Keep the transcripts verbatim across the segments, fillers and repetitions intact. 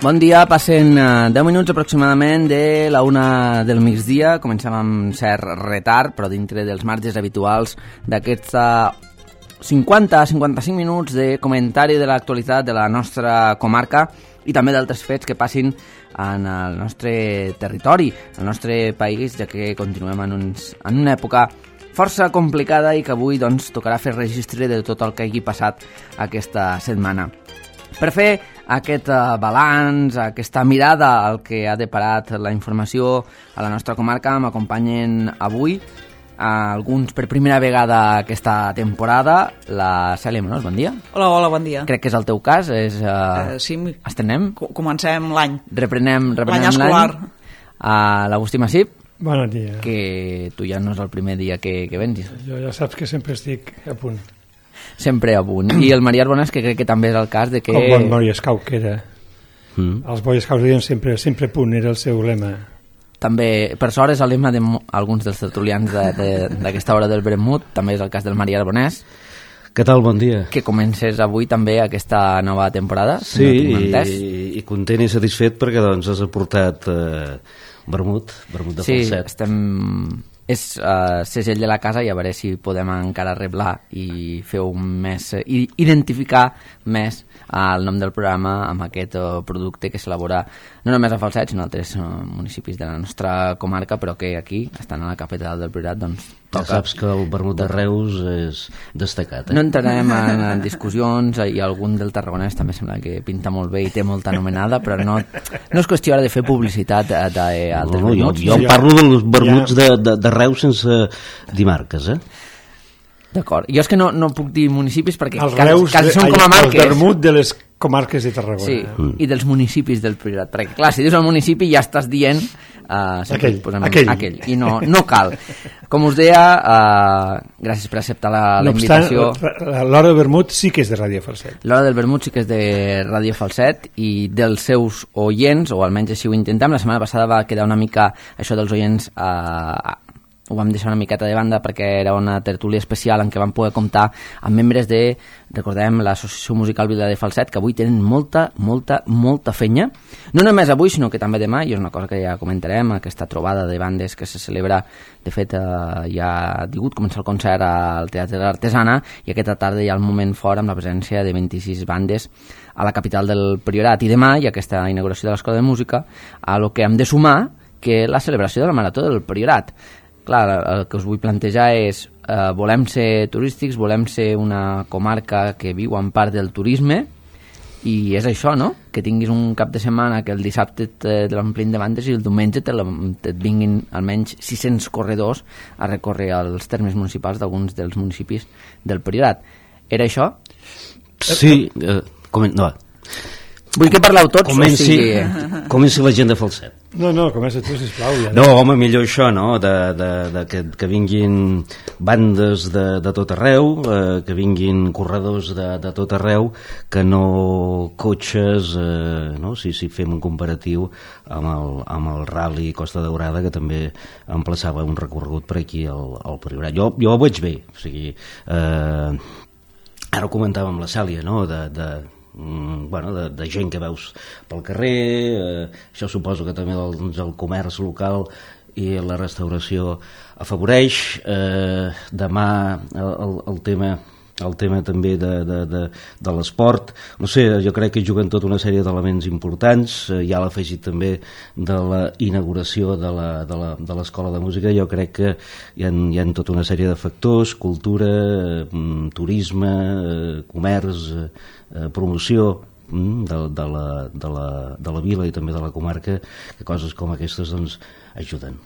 Bon dia, passen deu minuts aproximadament de la una del migdia. Comencem amb cert retard, però dintre dels marges habituals d'aquests cinquanta a cinquanta-cinc minuts de comentari de l'actualitat de la nostra comarca i també d'altres fets que passin en el nostre territori, en el nostre país, ja que continuem en, uns, en una època força complicada i que avui doncs, tocarà fer registre de tot el que hagi passat aquesta setmana. Per fer aquest uh, balanç, aquesta mirada al que ha deparat la informació a la nostra comarca, m'acompanyen avui uh, alguns per primera vegada aquesta temporada. La Cèlia Menós, bon dia. Hola, hola, bon dia. Crec que és el teu cas. És, uh, uh, sí, estrenem? Comencem l'any. Reprenem, reprenem l'any escolar. Uh, L'Agustí Massip. Bon dia. Que tu ja no és el primer dia que, que vens. Jo ja saps que sempre estic a punt. Sempre a punt. I el Maria Arbonès, que crec que també és el cas de que... Com bon Boy Scout que era. Mm. Els Boy Scouts deien sempre, sempre a punt, era el seu lema. També, per sort, és el lema d'alguns dels tertulians d'aquesta hora del Vermut. També és el cas del Maria Arbonès. Què tal, bon dia? Que comences avui també aquesta nova temporada. Sí, no i, i content i satisfet perquè doncs has aportat eh, vermut, vermut de sí, falset. Sí, estem... és uh, segell de la casa i a veure si podem encara reblar i fer un més, uh, identificar més uh, el nom del programa amb aquest uh, producte que s'elabora no només a Falset sinó a altres uh, municipis de la nostra comarca, però que aquí, estant a la capital del Priorat, doncs toca. Ja saps que el vermut de Reus és destacat, eh? No entrarem en, en discussions i algun del tarragonès també sembla que pinta molt bé i té molta anomenada, però no, no és qüestió de fer publicitat d'altres no, vermuts. Jo, jo parlo dels vermuts de, de, de Reus sense dir marques, eh? D'acord. Jo és que no, no puc dir municipis perquè els quasi, Reus, quasi són com a marques. El vermut de les comarques de Tarragona. Sí, mm. i dels municipis del Priorat. Perquè, clar, si dius el municipi ja estàs dient... Uh, aquell, aquell. aquell. I no, no cal. Com us deia, uh, gràcies per acceptar la, la no obstant, invitació. L'hora del vermut sí que és de Ràdio Falset. L'hora del vermut sí que és de Ràdio Falset i dels seus oients, o almenys així ho intentem. La setmana passada va quedar una mica això dels oients... Uh, ho vam deixar una miqueta de banda perquè era una tertúlia especial en què vam poder comptar amb membres de, recordem, l'Associació Musical Vila de Falset, que avui tenen molta, molta, molta fenya. No només avui, sinó que també demà, i és una cosa que ja comentarem, aquesta trobada de bandes que se celebra, de fet, eh, ja ha digut començar el concert al Teatre de l'Artesana, i aquesta tarda hi ha el moment fort amb la presència de vint-i-sis bandes a la capital del Priorat. I demà hi ha aquesta inauguració de l'Escola de Música, a lo que hem de sumar que la celebració de la Marató del Priorat. Clar, el que us vull plantejar és eh, volem ser turístics, volem ser una comarca que viu en part del turisme i és això, no? Que tinguis un cap de setmana que el dissabte te l'omplin de bandes i el diumenge te, te et vinguin almenys sis-cents corredors a recórrer els termes municipals d'alguns dels municipis del Priorat. Era això? Sí, eh, com, no. Vull que parleu tots. Comenci, o sigui... comenci la gent de Falset. No, no, comença tu, sisplau. Ja. No, home, millor això, no? De, de, de que, que vinguin bandes de, de tot arreu, eh, que vinguin corredors de, de tot arreu, que no cotxes, eh, no? Si, si fem un comparatiu amb el, amb el Rally Costa Daurada, que també emplaçava un recorregut per aquí al, al Priorat. Jo, jo ho veig bé, o sigui, eh, ara ho comentàvem amb la Cèlia, no? De... de bueno, de, de gent que veus pel carrer, eh, això suposo que també el, doncs, el comerç local i la restauració afavoreix. Eh, demà el, el, el tema el tema també de, de, de, de l'esport, no sé, jo crec que juguen tota una sèrie d'elements importants. Eh, ja l'afegit també de la inauguració de la, de la, de l'Escola de Música. Jo crec que hi ha, hi ha tota una sèrie de factors, cultura, eh, turisme, eh, comerç, eh, promoció de, de, la, de, la, de la vila i també de la comarca, que coses com aquestes doncs ajuden.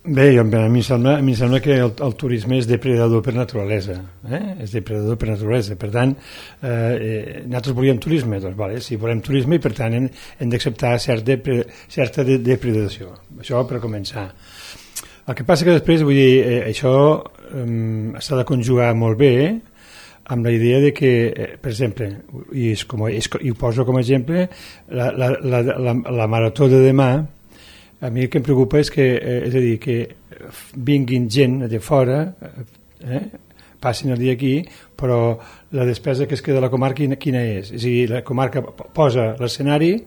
Bé, a mi em sembla, a mi em sembla que el, el turisme és depredador per naturalesa, eh? És depredador per naturalesa, per tant eh, eh, nosaltres volíem turisme, doncs vale, sí, volem turisme i per tant hem, hem d'acceptar cert depre, certa de, depredació, això per començar. El que passa que després, vull dir, eh, això eh, s'ha de conjugar molt bé amb la idea de que, eh, per exemple, i, és com, és, i ho poso com a exemple, la, la, la, la, la marató de demà. A mi el que em preocupa és que, eh, és a dir, que vinguin gent de fora, eh, passin el dia aquí, però la despesa que es queda a la comarca quina és? És a dir, la comarca posa l'escenari,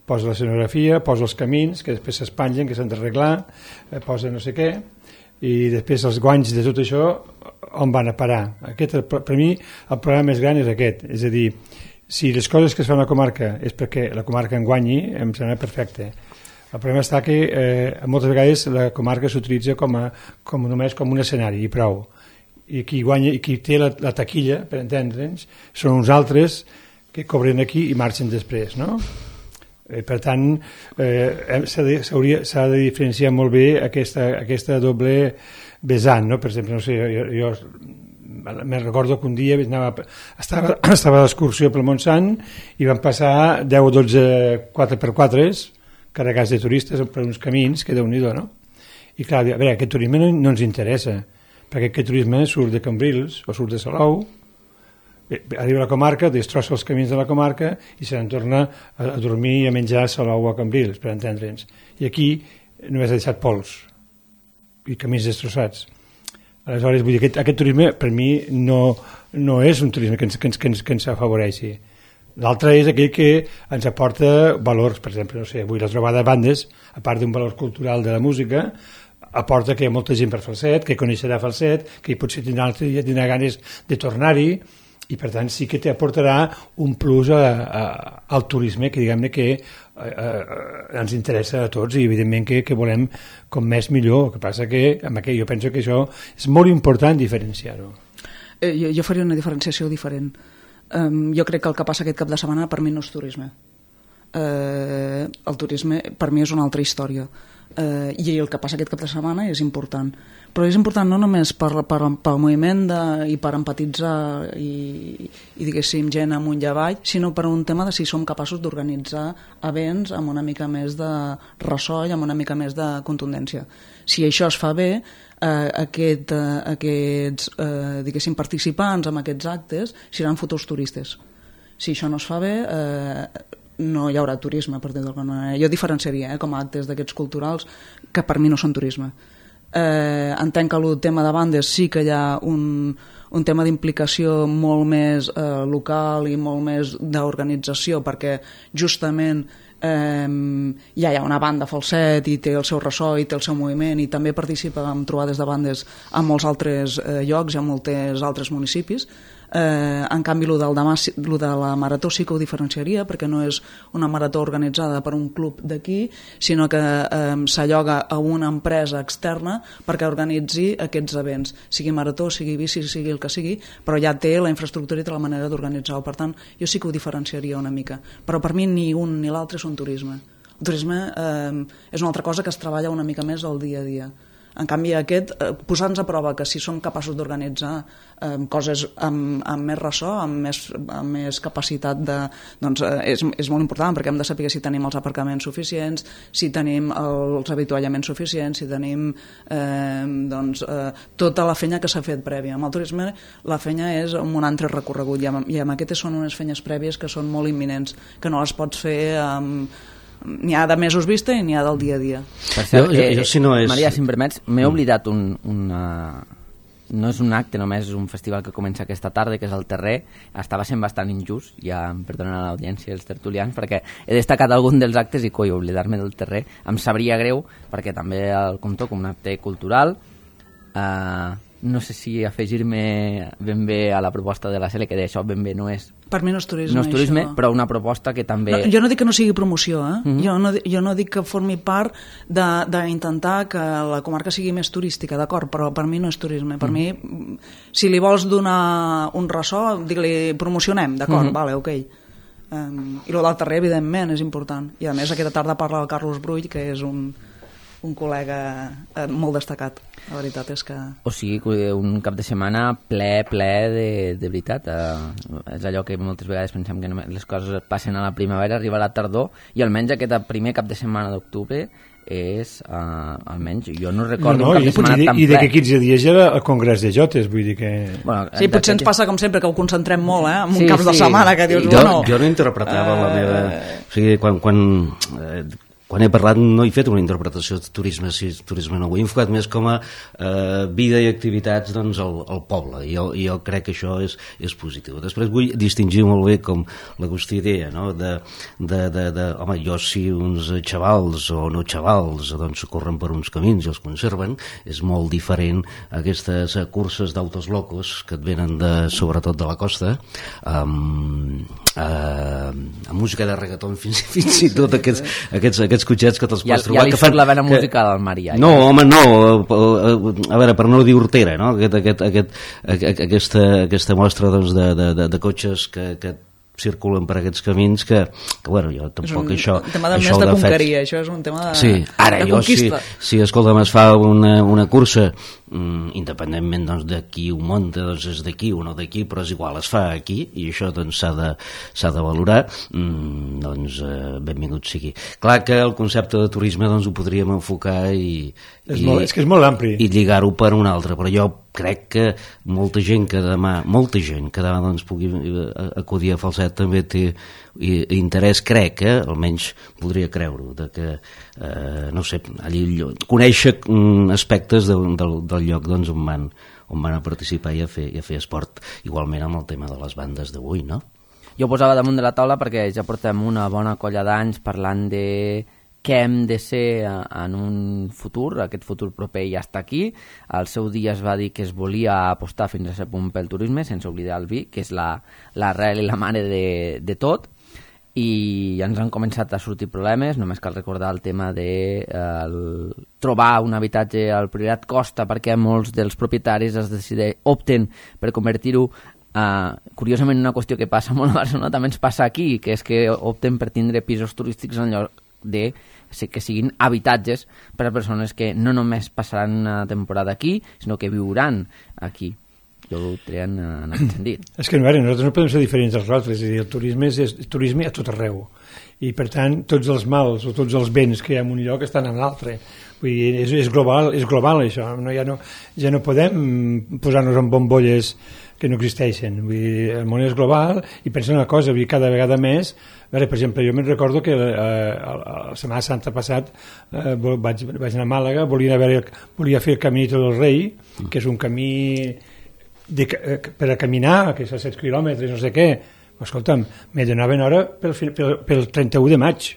posa l'escenografia, posa els camins, que després s'espanyen, que s'han d'arreglar, eh, posa no sé què, i després els guanys de tot això on van a parar. Aquest, per mi el problema més gran és aquest, és a dir, si les coses que es fan a la comarca és perquè la comarca en guanyi, em sembla perfecte. El problema està que eh, moltes vegades la comarca s'utilitza com, a, com només com un escenari i prou. I qui guanya i qui té la, la taquilla, per entendre'ns, són uns altres que cobren aquí i marxen després, no? Eh, per tant, eh, s'ha de, s'ha de diferenciar molt bé aquesta, aquesta doble vessant, no? Per exemple, no sé, jo, jo me recordo que un dia anava, estava, estava d'excursió pel Montsant i van passar deu o dotze quatre per quatre carregats de turistes per uns camins que déu-n'hi-do, no? I clar, a veure, aquest turisme no, no ens interessa, perquè aquest turisme surt de Cambrils o surt de Salou, arriba a la comarca, destrossa els camins de la comarca i se n'en torna a, a dormir i a menjar a Salou o a Cambrils, per entendre'ns. I aquí només ha deixat pols i camins destrossats. Aleshores, vull dir, aquest, aquest turisme per mi no, no és un turisme que ens, que ens, que ens, que ens afavoreixi. L'altre és aquell que ens aporta valors, per exemple, no sé, avui la trobada de bandes, a part d'un valor cultural de la música, aporta que hi ha molta gent per Falset, que coneixerà Falset, que potser tindrà l'altre dia tindrà ganes de tornar-hi, i per tant sí que t'aportarà un plus a, a, al turisme que diguem-ne que a, a, ens interessa a tots i evidentment que, que volem com més millor. El que passa que amb aquell, jo penso que això és molt important diferenciar-ho. Eh, jo, jo faria una diferenciació diferent. Um, jo crec que el que passa aquest cap de setmana per mi no és turisme. Uh, el turisme per mi és una altra història. Uh, i el que passa aquest cap de setmana és important, però és important no només per, per, pel moviment de, i per empatitzar i, i diguéssim gent amunt i avall, sinó per un tema de si som capaços d'organitzar events amb una mica més de ressò i amb una mica més de contundència. Si això es fa bé, eh, aquest, eh, aquests eh, diguéssim participants en aquests actes seran futurs turistes. Si això no es fa bé, eh, no hi haurà turisme, per dir-ho d'alguna manera. Jo diferenciaria eh, com a actes d'aquests culturals que per mi no són turisme. Eh, entenc que el tema de bandes sí que hi ha un, un tema d'implicació molt més eh, local i molt més d'organització, perquè justament eh, ja hi ha una banda Falset i té el seu ressò i té el seu moviment i també participa en trobades de bandes a molts altres eh, llocs i a molts altres municipis. Eh, en canvi, el del demà, el de la marató sí que ho diferenciaria, perquè no és una marató organitzada per un club d'aquí, sinó que eh, s'alloga a una empresa externa perquè organitzi aquests events, sigui marató, sigui bici, sigui el que sigui, però ja té la infraestructura i té la manera d'organitzar-ho. Per tant, jo sí que ho diferenciaria una mica, però per mi ni un ni l'altre són turisme. El turisme eh, és una altra cosa que es treballa una mica més al dia a dia. En canvi, aquest, eh, posar-nos a prova que si som capaços d'organitzar eh, coses amb, amb més ressò, amb més, amb més capacitat de, doncs, eh, és, és molt important, perquè hem de saber si tenim els aparcaments suficients, si tenim els avituallaments suficients, si tenim eh, doncs, eh, tota la feina que s'ha fet prèvia. Amb el turisme la feina és un altre recorregut, i amb, i amb aquestes són unes feines prèvies que són molt imminents, que no les pots fer amb... N'hi ha de mesos vista i n'hi ha del dia a dia. Per cert, jo, jo, jo, si no és... Maria, si em permets, m'he oblidat un, una... No és un acte, només és un festival que comença aquesta tarda, que és el Terrer. Estava sent bastant injust, ja em perdonen a l'audiència i els tertulians, perquè he destacat algun dels actes i, coi, oblidar-me del Terrer em sabria greu, perquè també el compto com un acte cultural. Uh, no sé si afegir-me ben bé a la proposta de la Cele, que d'això ben bé no és... Per mi no és turisme, no és turisme, això. Però una proposta que també... No, jo no dic que no sigui promoció, eh? Mm-hmm. jo, no, jo no dic que formi part d'intentar que la comarca sigui més turística, d'acord, però per mi no és turisme. Per mm-hmm. mi, si li vols donar un ressò, digue-li promocionem, d'acord, mm-hmm. vale, ok. Um, I el del Terrer, evidentment, és important. I a més, aquesta tarda parla el Carlos Brull, que és un... un col·lega eh, molt destacat. La veritat és que... O sigui, un cap de setmana ple, ple de, de veritat. Eh, és allò que moltes vegades pensem que només les coses passen a la primavera, arriba a la tardor, i almenys aquest primer cap de setmana d'octubre és, uh, almenys, jo no recordo no, no, un cap de setmana i, tan i ple. I d'aquí quinze dies ja era el Congrés de Jotes, vull dir que... Bueno, sí, potser ens passa com sempre, que ho concentrem molt, eh? En un sí, cap sí. de setmana, que dius, jo, bueno... Jo no interpretava uh... la meva... O sigui, quan... quan eh, quan he parlat no he fet una interpretació de turisme, si turisme no, ho he enfocat més com a eh, vida i activitats doncs, al, al poble, i jo, jo crec que això és, és positiu. Després vull distingir molt bé, com l'Agustí deia, no? de, de, de, de, home, jo si uns xavals o no xavals doncs corren per uns camins i els conserven, és molt diferent a aquestes curses d'autos locos que et venen de, sobretot de la costa, amb, amb, amb música de reggaeton, fins, fins i tot aquests, aquests, aquests cotxets que te'ls pots ja, trobar. Ja li que fan, surt la vena que... musical al Maria. No, ja. home, no. A veure, per no dir hortera, no? Aquest, aquest, aquest, aquesta, aquesta mostra doncs, de, de, de, de cotxes que, que circulen per aquests camins que, que bueno, jo tampoc és un això... un tema de això més de fet... conqueria, això és un tema de, sí. Ara, de jo, conquista. Si, si escolta'm, es fa una, una cursa, mm, independentment doncs, de qui ho munta, doncs és d'aquí o no d'aquí, però és igual, es fa aquí, i això doncs, s'ha de, s'ha de valorar, mm, doncs eh, benvingut sigui. Clar que el concepte de turisme doncs, ho podríem enfocar i, és, i, molt, és que és molt ampli. i lligar-ho per un altre, però jo crec que molta gent que demà, molta gent que demà doncs, pugui acudir a Falset també té interès, crec, eh? Almenys podria creure-ho, de que, eh, no sé, allí conèixer aspectes de, del, del lloc doncs, on, van, on van a participar i a, fer, i a fer esport, igualment amb el tema de les bandes d'avui, no? Jo ho posava damunt de la taula perquè ja portem una bona colla d'anys parlant de què hem de ser en un futur, aquest futur proper ja està aquí. Al seu dia es va dir que es volia apostar fins a cert punt pel turisme, sense oblidar el vi, que és la, l'arrel i la mare de, de tot, i ja ens han començat a sortir problemes. Només cal recordar el tema de eh, el, trobar un habitatge al Priorat costa, perquè molts dels propietaris es decideixen, opten per convertir-ho Uh, curiosament una qüestió que passa molt a Barcelona també ens passa aquí, que és que opten per tindre pisos turístics en lloc de que siguin habitatges per a persones que no només passaran una temporada aquí, sinó que viuran aquí. Jo ho treien en aquest sentit. És que veure, nosaltres no podem ser diferents dels altres, és a dir, el turisme és, és turisme a tot arreu, i per tant tots els mals o tots els béns que hi ha en un lloc estan en l'altre. Vull dir, és, és, global, és global això, no, ja, no, ja no podem posar-nos en bombolles que no existeixen. Vull dir, el món és global i pensa una cosa, vull dir, cada vegada més, a veure, per exemple, jo me'n recordo que eh, la Setmana Santa passat eh, vaig, vaig anar a Màlaga, volia, veure, volia fer el Caminito del Rei, que és un camí de, per a caminar, que és a set quilòmetres, no sé què. Escolta'm, me donaven hora pel, pel, pel trenta-u de maig.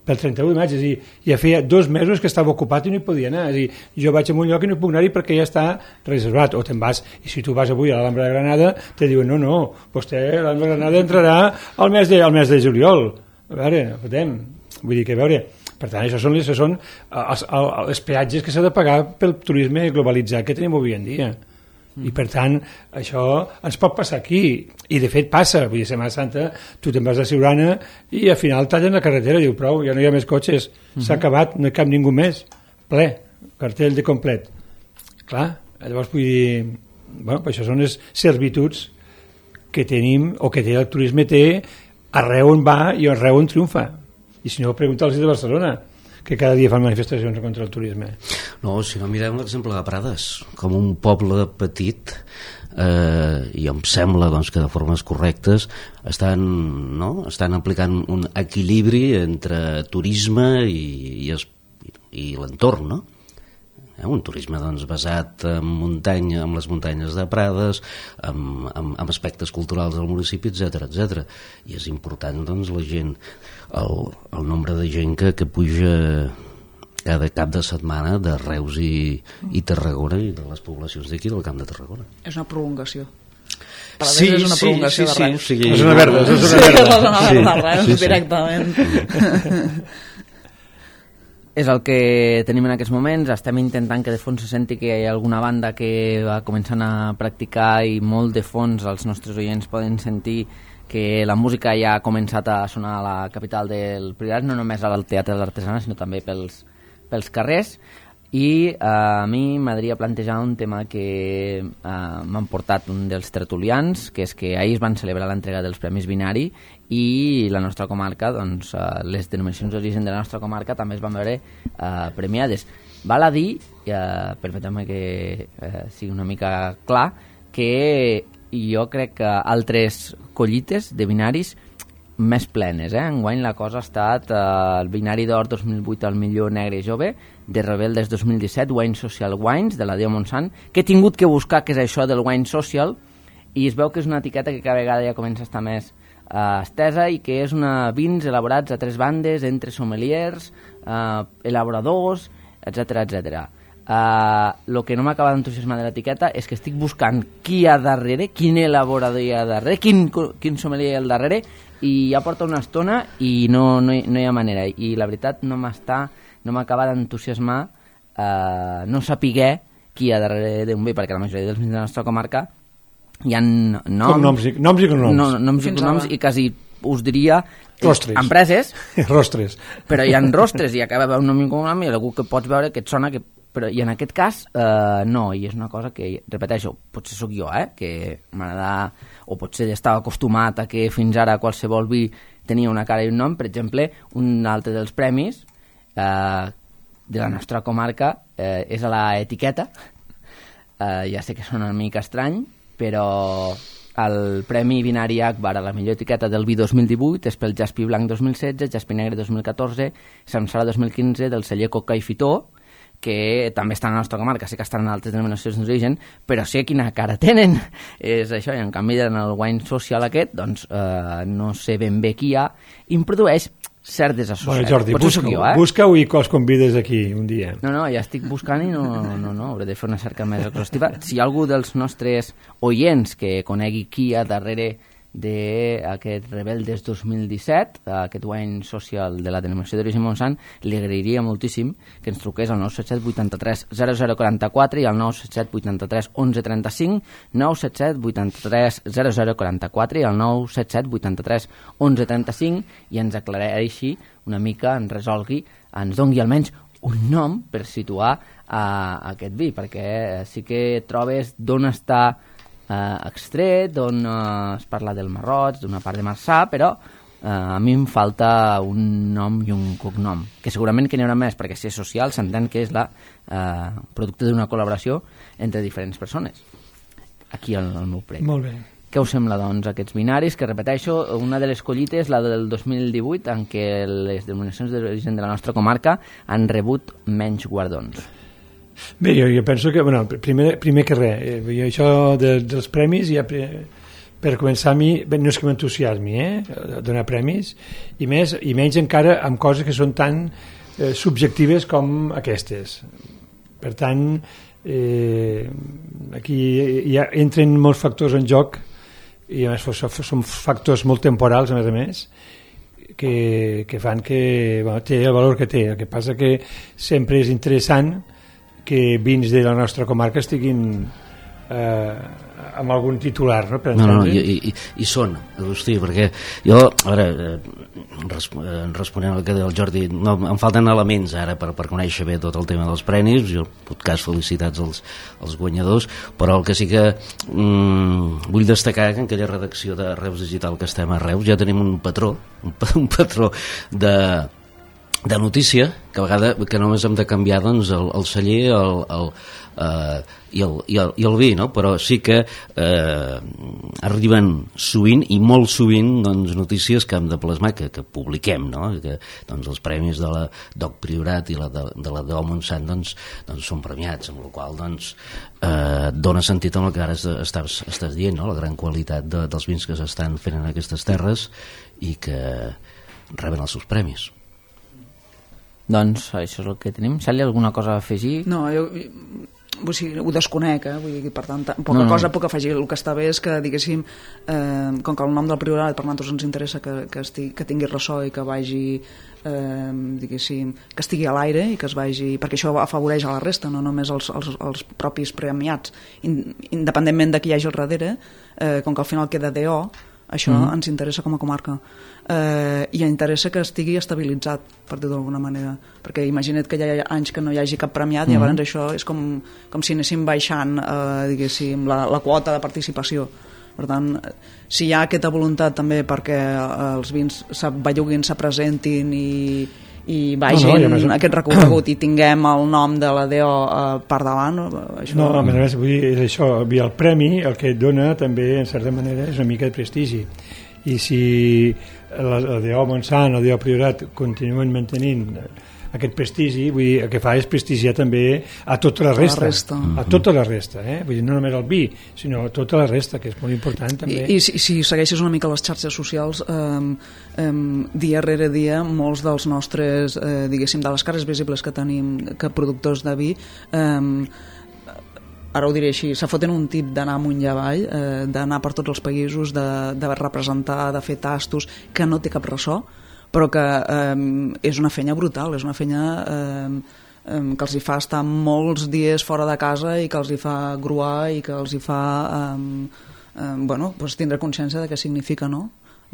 Pel trenta-u de maig, és a dir, ja feia dos mesos que estava ocupat i no hi podia anar. És a dir, jo vaig a un lloc i no hi puc anar-hi perquè ja està reservat. O te'n vas, i si tu vas avui a l'Alhambra de Granada, te diuen, no, no, vostè a l'Alhambra de Granada entrarà al mes de, al mes de juliol. A veure, no podem. Vull dir que, a veure, per tant, això són, això són els, els peatges que s'ha de pagar pel turisme globalitzat que tenim avui en dia. I per tant això ens pot passar aquí, i de fet passa. Vull dir, Setmana Santa tu te'n vas a Siurana i al final tallen la carretera, diu prou, ja no hi ha més cotxes, s'ha uh-huh. acabat, no hi cap ningú més, ple, cartell de complet. Clar, llavors vull dir, bueno, això són les servituds que tenim, o que té el turisme té arreu on va i arreu on triomfa. I si no, pregunta'ls de Barcelona, que cada dia fan manifestacions contra el turisme. No, si no, mirem l'exemple de Prades, com un poble petit, eh, i em sembla doncs, que de formes correctes estan, no? estan aplicant un equilibri entre turisme i, i, es, i l'entorn, no? Eh, un turisme doncs, basat en muntanya, en les muntanyes de Prades, amb, amb, amb aspectes culturals del municipi, etcètera, etcètera. I és important doncs, la gent, el, el nombre de gent que, que puja cada cap de setmana de Reus i, i Tarragona i de les poblacions d'aquí del Camp de Tarragona. És una prolongació. Sí, és una prolongació sí, de sí, Reus. sí, sí. És una verda, és una Sí, verda. és la zona Sí, de Reus, sí, sí. directament. És el que tenim en aquests moments. Estem intentant que de fons se senti que hi ha alguna banda que va començant a practicar, i molt de fons els nostres oients poden sentir que la música ja ha començat a sonar a la capital del Priorat, no només al Teatre de l'Artesana, sinó també pels, pels carrers. I eh, a mi m'agradaria plantejar un tema que eh, m'han portat un dels tertulians, que és que ahir es van celebrar l'entrega dels Premis Binari, i la nostra comarca, doncs, eh, les denominacions d'origen de la nostra comarca també es van veure eh, premiades. Val a dir, eh, permetem que eh, sigui una mica clar, que jo crec que altres collites de binaris més plenes. Eh? Enguany la cosa ha estat eh, el Binari d'Or dos mil vuit al millor negre i jove, de Rebeldes dos mil disset, Wine Social Wines, de la Déu Montsant, que he tingut que buscar què és això del Wine Social, i es veu que és una etiqueta que cada vegada ja comença a estar més eh, estesa i que és una vins elaborats a tres bandes entre sommeliers, eh, elaboradors, etcètera etcètera. El uh, que no m'acaba d'entusiasmar de l'etiqueta és que estic buscant qui hi ha darrere, quin elaborador hi ha darrere, quin, quin sommelier hi ha al darrere, i ja porta una estona i no, no, hi, no hi ha manera, i la veritat no m'està, no m'acaba d'entusiasmar uh, no sapiguer qui hi ha darrere d'un vi, perquè la majoria dels vins de la nostra comarca hi ha noms, noms, i, noms i cognoms, no, noms i, cognoms i quasi us diria rostres. Empreses, rostres, però hi ha rostres i acaba un nom i un cognom i algú que pots veure que et sona que... Però, i en aquest cas eh, no, i és una cosa que, repeteixo, potser sóc jo, eh, que m'agrada, o potser estava acostumat a que fins ara qualsevol vi tenia una cara i un nom. Per exemple, un altre dels premis eh, de la nostra comarca eh, és a l'etiqueta. Eh, ja sé que sona una mica estrany, però el Premi Binari Akbar a la millor etiqueta del vi dos mil divuit és pel Jaspi Blanc dos mil setze, Jaspi Negre dos mil catorze, Samsara dos mil quinze, del celler Coca i Fitó, que també estan a la nostra comarca, sí que estan en altres denominacions d'origen, però sé quina cara tenen. És això, i en canvi en el Wine Social aquest, doncs eh, no sé ben bé qui hi ha, i em produeix cert desassociat. Bueno, Jordi, busca-ho, eh? busca i que els convides aquí un dia. No, no, ja estic buscant i no, no, no, hauré de fer una cerca més exhaustiva. Si hi ha algú dels nostres oients que conegui qui hi ha darrere d'aquest Rebeldes dos mil disset, aquest Wine Social de la denominació d'origen Montsant, li agrairia moltíssim que ens truqués al nou set set vuitanta-tres zero zero quaranta-quatre i al nou set set vuitanta-tres onze trenta-cinc, nou set set vuitanta-tres zero zero quaranta-quatre i al nou set set vuitanta-tres onze trenta-cinc, i ens aclareixi una mica, ens resolgui, ens dongui almenys un nom per situar uh, aquest vi, perquè sí que trobes d'on està Uh, extret, on uh, es parla del Marroig, d'una part de Marçà, però uh, a mi em falta un nom i un cognom, que segurament que n'hi haurà més, perquè si és social s'entén que és la uh, producte d'una col·laboració entre diferents persones. Aquí el, el meu prec. Molt bé. Què us sembla, doncs, aquests binaris? Que, repeteixo, una de les collites, la del dos mil divuit, en què les denominacions d'origen de la nostra comarca han rebut menys guardons. Bé, jo, jo penso que, bueno, primer, primer que res, eh, jo això de, dels premis, ja per, per començar a mi, bé, no és que m'entusiasmi, eh, donar premis, i, més, i menys encara amb coses que són tan eh, subjectives com aquestes. Per tant, eh, aquí ja entren molts factors en joc, i a més són factors molt temporals, a més a més, que, que fan que, bueno, té el valor que té. El que passa que sempre és interessant que vins de la nostra comarca estiguin eh, amb algun titular, no? Per no, no, no, i, i, i són, Agustí, perquè jo, a veure, eh, responent al que deia el Jordi, no, em falten elements ara per, per conèixer bé tot el tema dels premis, jo, en tot cas, felicitats als, als guanyadors, però el que sí que mm, vull destacar que en aquella redacció de Reus Digital que estem a Reus ja tenim un patró, un, un patró de de notícia, que a vegades que només hem de canviar doncs, el, el celler el, el, uh, i, el, i, el, i el vi, no? Però sí que uh, arriben sovint i molt sovint doncs, notícies que hem de plasmar, que, que publiquem, no? Que doncs, els premis de la Doc Priorat i la de, de la Déu Montsant doncs, doncs, són premiats, amb la qual doncs, uh, dona sentit amb el que ara estàs, estàs dient, no? La gran qualitat de, dels vins que s'estan fent en aquestes terres i que reben els seus premis. Doncs això és el que tenim. Sally, alguna cosa a afegir? No, jo, vull dir, ho desconec, eh? Vull dir, per tant, poca no, no. cosa puc afegir. El que està bé és que, diguéssim, eh, com que el nom del priorat per nosaltres ens interessa que, que, estigui, que tingui ressò i que vagi, eh, diguéssim, que estigui a l'aire i que es vagi, perquè això afavoreix a la resta, no només els, els, els propis premiats. Independentment de qui hi hagi al darrere, eh, com que al final queda D O, això mm-hmm. ens interessa com a comarca. Eh, i interessa que estigui estabilitzat, per dir-ho d'alguna manera, perquè imagina't que hi ha anys que no hi hagi cap premiat, mm-hmm. i llavors això és com, com si anéssim baixant eh, diguéssim, la, la quota de participació. Per tant, si hi ha aquesta voluntat també perquè els vins s'avelluguin, se presentin i, i vagin no, no, més... aquest recorregut i tinguem el nom de la D O eh, per davant, això... No, a més, vull dir, és això, el premi el que et dona també, en certa manera, és una mica de prestigi. I si el D O Montsant o el D O Priorat continuen mantenint aquest prestigi, vull dir, el que fa és prestigiar també a tota la resta, la resta. a tota la resta, eh? Vull dir, no només el vi, sinó a tota la resta, que és molt important també. I, i si, si segueixes una mica les xarxes socials, eh, eh, dia rere dia, molts dels nostres, eh, diguéssim, de les cares visibles que tenim, que productors de vi, eh, ara ho diré així, se foten un tip d'anar amunt i avall, eh, d'anar per tots els països, de, de representar, de fer tastos, que no té cap ressò, però que eh, és una feina brutal, és una feina eh, eh, que els hi fa estar molts dies fora de casa i que els hi fa gruar i que els hi fa eh, eh, bueno, doncs tindre consciència de què significa, no?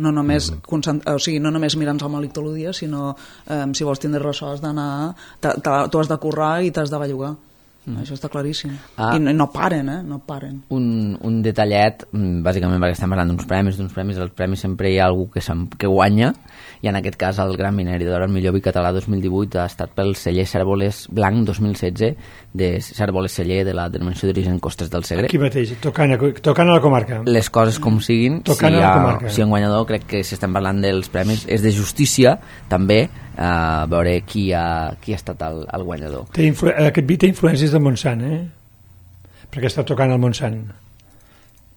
No només, mm. o sigui, no només mirar-nos el malic tot el dia, sinó eh, si vols tindre ressò has d'anar, tu has de currar i t'has de bellugar. Mm. Això està claríssim. Ah. I no, no paren, eh? No paren. Un, un detallet, bàsicament perquè estem parlant d'uns premis, d'uns premis, els premis sempre hi ha algú que, que guanya, i en aquest cas el Gran Vineri d'Or, el millor vi català dos mil divuit, ha estat pel celler Cérvoles Blanc dos mil setze, de Cérvoles Celler de la denominació d'origen Costes del Segre. Aquí mateix, tocant a, tocant a la comarca. Les coses com siguin, si hi ha, si hi ha un guanyador, crec que si estem parlant dels premis, és de justícia, també, a veure qui ha, qui ha estat el, el guanyador. Té influ... Aquest vi té influències del Montsant, eh? Perquè està tocant al Montsant.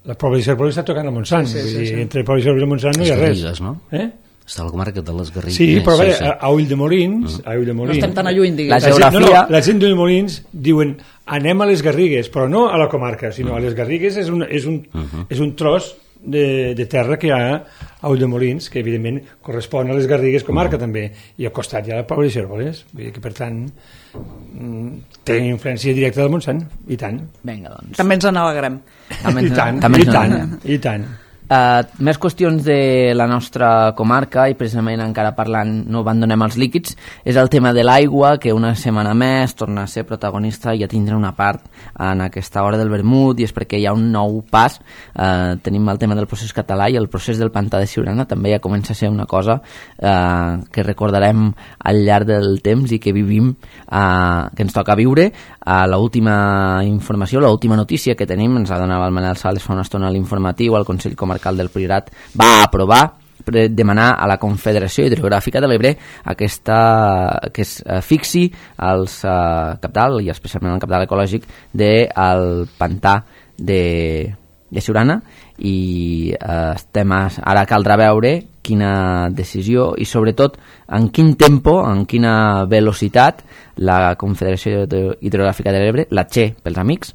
La Pobla de Cérvoles està tocant al Montsant. Sí, sí, sí, sí. Entre Pobla de Cérvoles i el Montsant no hi ha res. Garrigues, no? Eh? Està a la comarca de les Garrigues. Sí, però sí, sí. a Ulldemolins... Mm. A Ulldemolins no estem tan a lluny, diguem. La geografia... No, no, la gent d'Ulldemolins diuen anem a les Garrigues, però no a la comarca, sinó mm. a les Garrigues és un, és un, mm -hmm. és un tros de, de terra que hi ha a Ulldemolins, que evidentment correspon a les Garrigues comarca mm. també, i al costat hi ha la Pobla de Cérvoles, vull dir que per tant té influència directa del Montsant, i tant. Vinga, doncs. També ens n'alegrem. I tant, també i tant, i tant. Uh, més qüestions de la nostra comarca, i precisament encara parlant, no abandonem els líquids, és el tema de l'aigua, que una setmana més torna a ser protagonista i a tindre una part en aquesta hora del vermut, i és perquè hi ha un nou pas. Uh, tenim el tema del procés català, i el procés del pantà de Siurana també ja comença a ser una cosa uh, que recordarem al llarg del temps i que vivim, uh, que ens toca viure. Uh, l'última informació, l'última notícia que tenim, ens la donava el Manel Sales fa una estona a l'informatiu, al Consell Comarcal del Priorat va aprovar demanar a la Confederació Hidrogràfica de l'Ebre aquesta, que es uh, fixi els uh, capdalt, i especialment el capdalt ecològic del pantà de, de Siurana, i uh, estem a, ara caldrà veure quina decisió i sobretot en quin tempo, en quina velocitat la Confederació Hidrogràfica de l'Ebre, la Che pels amics,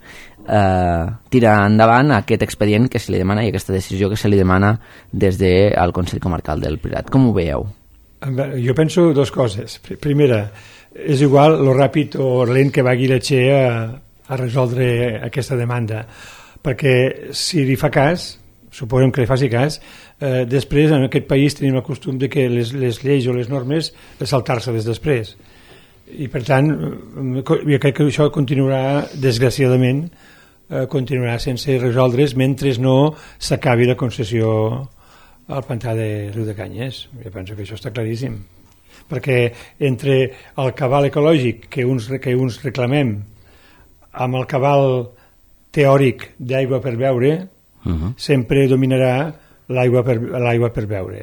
eh, tira endavant aquest expedient que se li demana i aquesta decisió que se li demana des del Consell Comarcal del Priorat. Com ho veieu? Jo penso dues coses. Primera, és igual lo ràpid o lent que vagi la Che a, a resoldre aquesta demanda, perquè si li fa cas, suposem que li faci cas, eh, després en aquest país tenim el costum de que les, les lleis o les normes saltar-se-les després, i per tant jo crec que això continuarà, desgraciadament eh, continuarà sense resoldre's mentre no s'acabi la concessió al pantà de Riudecanyes. Jo penso que això està claríssim, perquè entre el cabal ecològic que uns, que uns reclamem amb el cabal teòric d'aigua per beure, uh-huh. sempre dominarà l'aigua per, l'aigua per beure,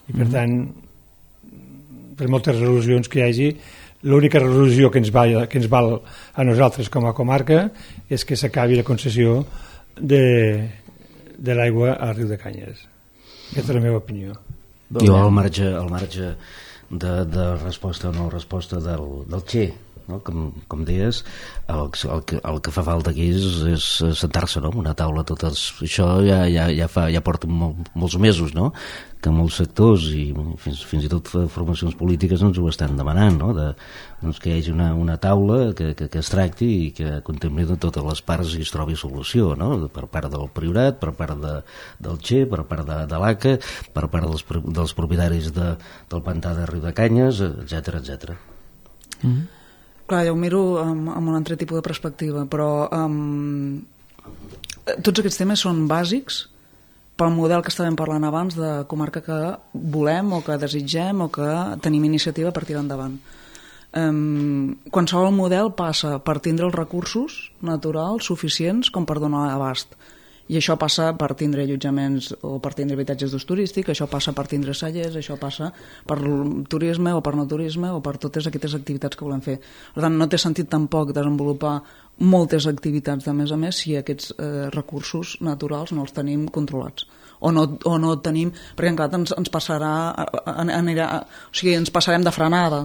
i per uh-huh. tant per moltes resolucions que hi hagi, l'única resolució que ens, val, que ens val a nosaltres com a comarca és que s'acabi la concessió de, de l'aigua al Riudecanyes. Aquesta és la meva opinió. Jo al marge, al marge de, de resposta o no resposta del, del Che, no? com, com deies, el, el, que, el que fa falta aquí és, és sentar-se, no? Una taula, totes, això ja, ja, ja, fa, ja porta mol, molts mesos, no? Que molts sectors i fins, fins i tot formacions polítiques ens ho estan demanant, no? De, doncs que hi hagi una, una taula que, que, que es tracti i que contempli de totes les parts i es trobi solució, no? Per part del Priorat, per part de, del Che, per part de, de l'A C A, per part dels, dels propietaris de, del pantà de Riudecanyes, etcètera, etcètera. Mm-hmm. Clar, jo ho miro amb, amb un altre tipus de perspectiva, però um, tots aquests temes són bàsics pel model que estàvem parlant abans de comarca que volem o que desitgem o que tenim iniciativa per tirar endavant. Um, qualsevol model passa per tindre els recursos naturals suficients com per donar abast. I això passa per tindre allotjaments o per tindre habitatges d'ús turístic, això passa per tindre cellers, això passa per turisme o per no turisme o per totes aquestes activitats que volem fer. Per tant, no té sentit tampoc desenvolupar moltes activitats de més a més si aquests eh, recursos naturals no els tenim controlats. O no, o no tenim... Perquè encara ens, ens passarà... Anirà, o sigui, ens passarem de frenada,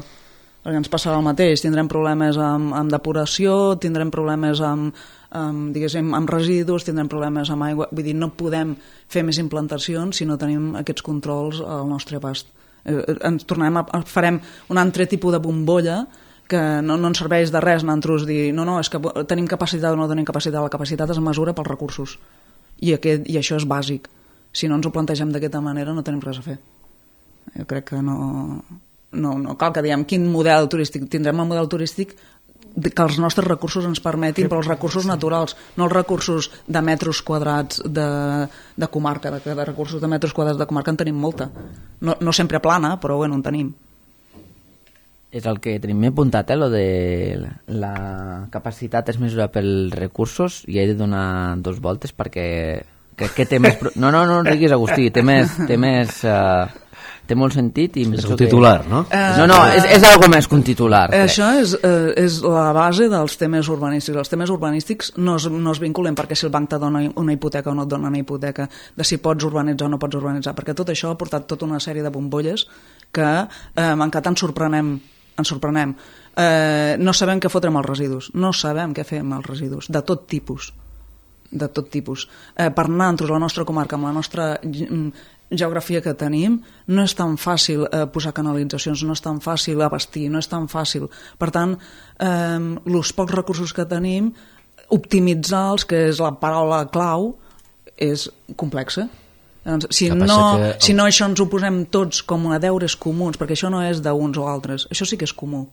perquè ens passarà el mateix. Tindrem problemes amb, amb depuració, tindrem problemes amb... amb, diguéssim, amb residus, tindrem problemes amb aigua, vull dir, no podem fer més implantacions si no tenim aquests controls al nostre abast. Eh, ens tornarem a, farem un altre tipus de bombolla que no, no ens serveix de res nosaltres dir, no, no, és que tenim capacitat o no tenim capacitat, la capacitat es mesura pels recursos i, aquest, i això és bàsic. Si no ens ho plantegem d'aquesta manera no tenim res a fer. Jo crec que no, no, no cal que diguem quin model turístic, tindrem el model turístic que els nostres recursos ens permetin, però els recursos naturals, no els recursos de metres quadrats de, de comarca, de, de recursos de metres quadrats de comarca en tenim molta. No, no sempre plana, però bueno, en tenim. És el que tenim apuntat, eh, lo de la capacitat es mesura pels recursos i he de donar dos voltes perquè crec que té més... No, no, no riguis, Agustí, té més... Té més uh... té molt sentit i és un titular, que... no? No, no, és, és algo més que un titular. Eh, això és, eh, és la base dels temes urbanístics. Els temes urbanístics no es, no es vinculen perquè si el banc te dona una hipoteca o no et dona una hipoteca, de si pots urbanitzar o no pots urbanitzar, perquè tot això ha portat tota una sèrie de bombolles que eh, encara ens sorprenem, ens sorprenem. Eh, no sabem què fotre amb els residus, no sabem què fer amb els residus, de tot tipus. de tot tipus. Eh, per nosaltres, la nostra comarca, amb la nostra geografia que tenim, no és tan fàcil eh, posar canalitzacions, no és tan fàcil abastir, no és tan fàcil. Per tant, eh, els pocs recursos que tenim, optimitzar-los, que és la paraula clau, és complexa. Doncs, si, no, que... si no això ens ho posem tots com a deures comuns, perquè això no és d'uns o altres, això sí que és comú.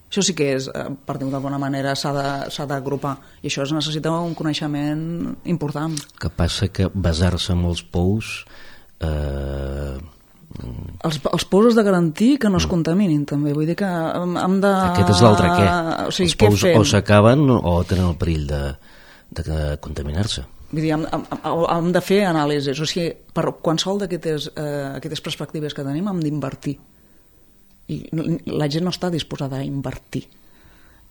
Això sí que és, per dir-ho d'alguna manera, s'ha d'agrupar. I això es necessita un coneixement important. Que passa que basar-se en els pous... Eh... Els, els pous has de garantir que no es contaminin, també. Vull dir que hem de... Aquest és l'altre què? O sigui, els pous o s'acaben o tenen el perill de, de contaminar-se. Vull dir, hem, hem de fer anàlisis. O sigui, per qualsevol d'aquestes eh, perspectives que tenim hem d'invertir. I la gent no està disposada a invertir.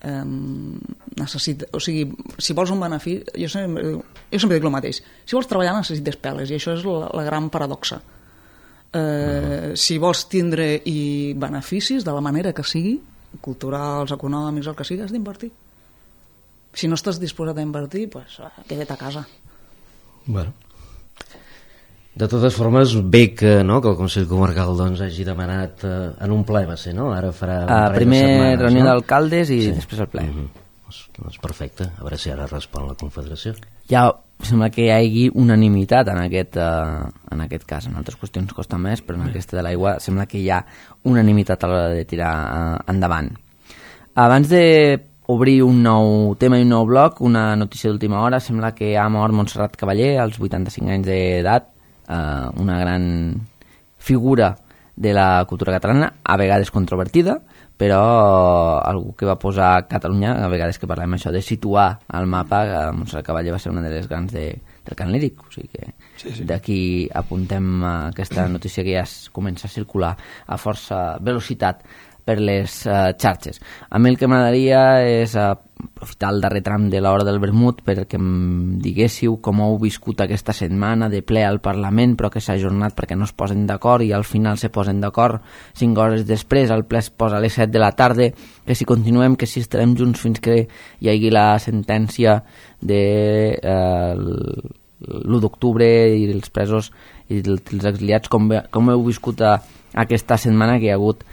Um, necessita, o sigui, si vols un benefici, jo sempre, jo sempre dic el mateix, si vols treballar necessites peles, i això és la, la gran paradoxa. Uh, uh-huh. Si vols tindre i beneficis de la manera que sigui, culturals, econòmics, el que sigui, has d'invertir. Si no estàs disposat a invertir, pues, queda't a casa. Bueno. De totes formes, bé que, no, que el Consell Comarcal doncs, hagi demanat eh, en un ple, va ser, no? Ara farà un uh, primer setmanes, reunió no? d'alcaldes i sí. després el ple. Uh-huh. Doncs, doncs perfecte, a veure si ara respon la Confederació. Ja sembla que hi hagi unanimitat en aquest, uh, en aquest cas. En altres qüestions costa més, però en sí. aquesta de l'aigua sembla que hi ha unanimitat a l'hora de tirar uh, endavant. Abans de obrir un nou tema i un nou bloc, una notícia d'última hora, sembla que ha mort Montserrat Cavaller als vuitanta-cinc anys d'edat, Uh, una gran figura de la cultura catalana, a vegades controvertida, però algú que va posar Catalunya, a vegades que parlem això de situar al mapa, que Montserrat Cavaller va ser una de les grans de, del cant líric, o sigui que sí, sí. d'aquí apuntem aquesta notícia que ja es comença a circular a força velocitat per les uh, xarxes. A mi el que m'agradaria és uh, aprofitar el darrer tram de l'hora del vermut perquè em diguéssiu com heu viscut aquesta setmana de ple al Parlament, però que s'ha ajornat perquè no es posen d'acord i al final se posen d'acord cinc hores després, el ple es posa a les set de la tarda, que si continuem, que si estarem junts fins que hi hagi la sentència de uh, l'u d'octubre i els presos i els exiliats, com, com heu viscut a, aquesta setmana que hi ha hagut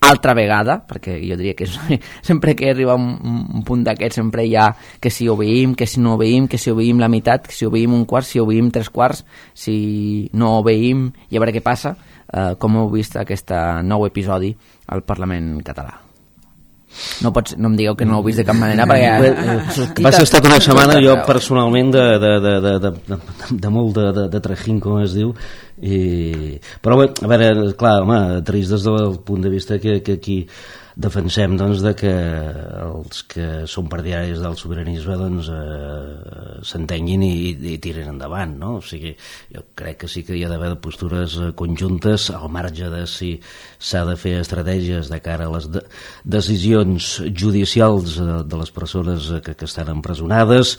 altra vegada, perquè jo diria que sempre que arriba un, un punt d'aquest sempre hi ha que si obeïm, que si no obeïm, que si obeïm la meitat, que si obeïm un quart, si obeïm tres quarts, si no obeïm i a veure què passa. Uh, com heu vist aquest nou episodi al Parlament català? No, pots, no em digueu que no ho heu vist de cap manera perquè... Va ser estat una setmana jo personalment de, de, de, de, de, de, de molt de, de, de trajín, com es diu, i... però bé, a veure, clar, home, trist des del punt de vista que, que aquí defensem doncs, de que els que són partidaris del sobiranisme doncs, eh, s'entenguin i, i tiren endavant, no? O sigui, jo crec que sí que hi ha d'haver postures conjuntes al marge de si s'ha de fer estratègies de cara a les de decisions judicials de, de les persones que, que estan empresonades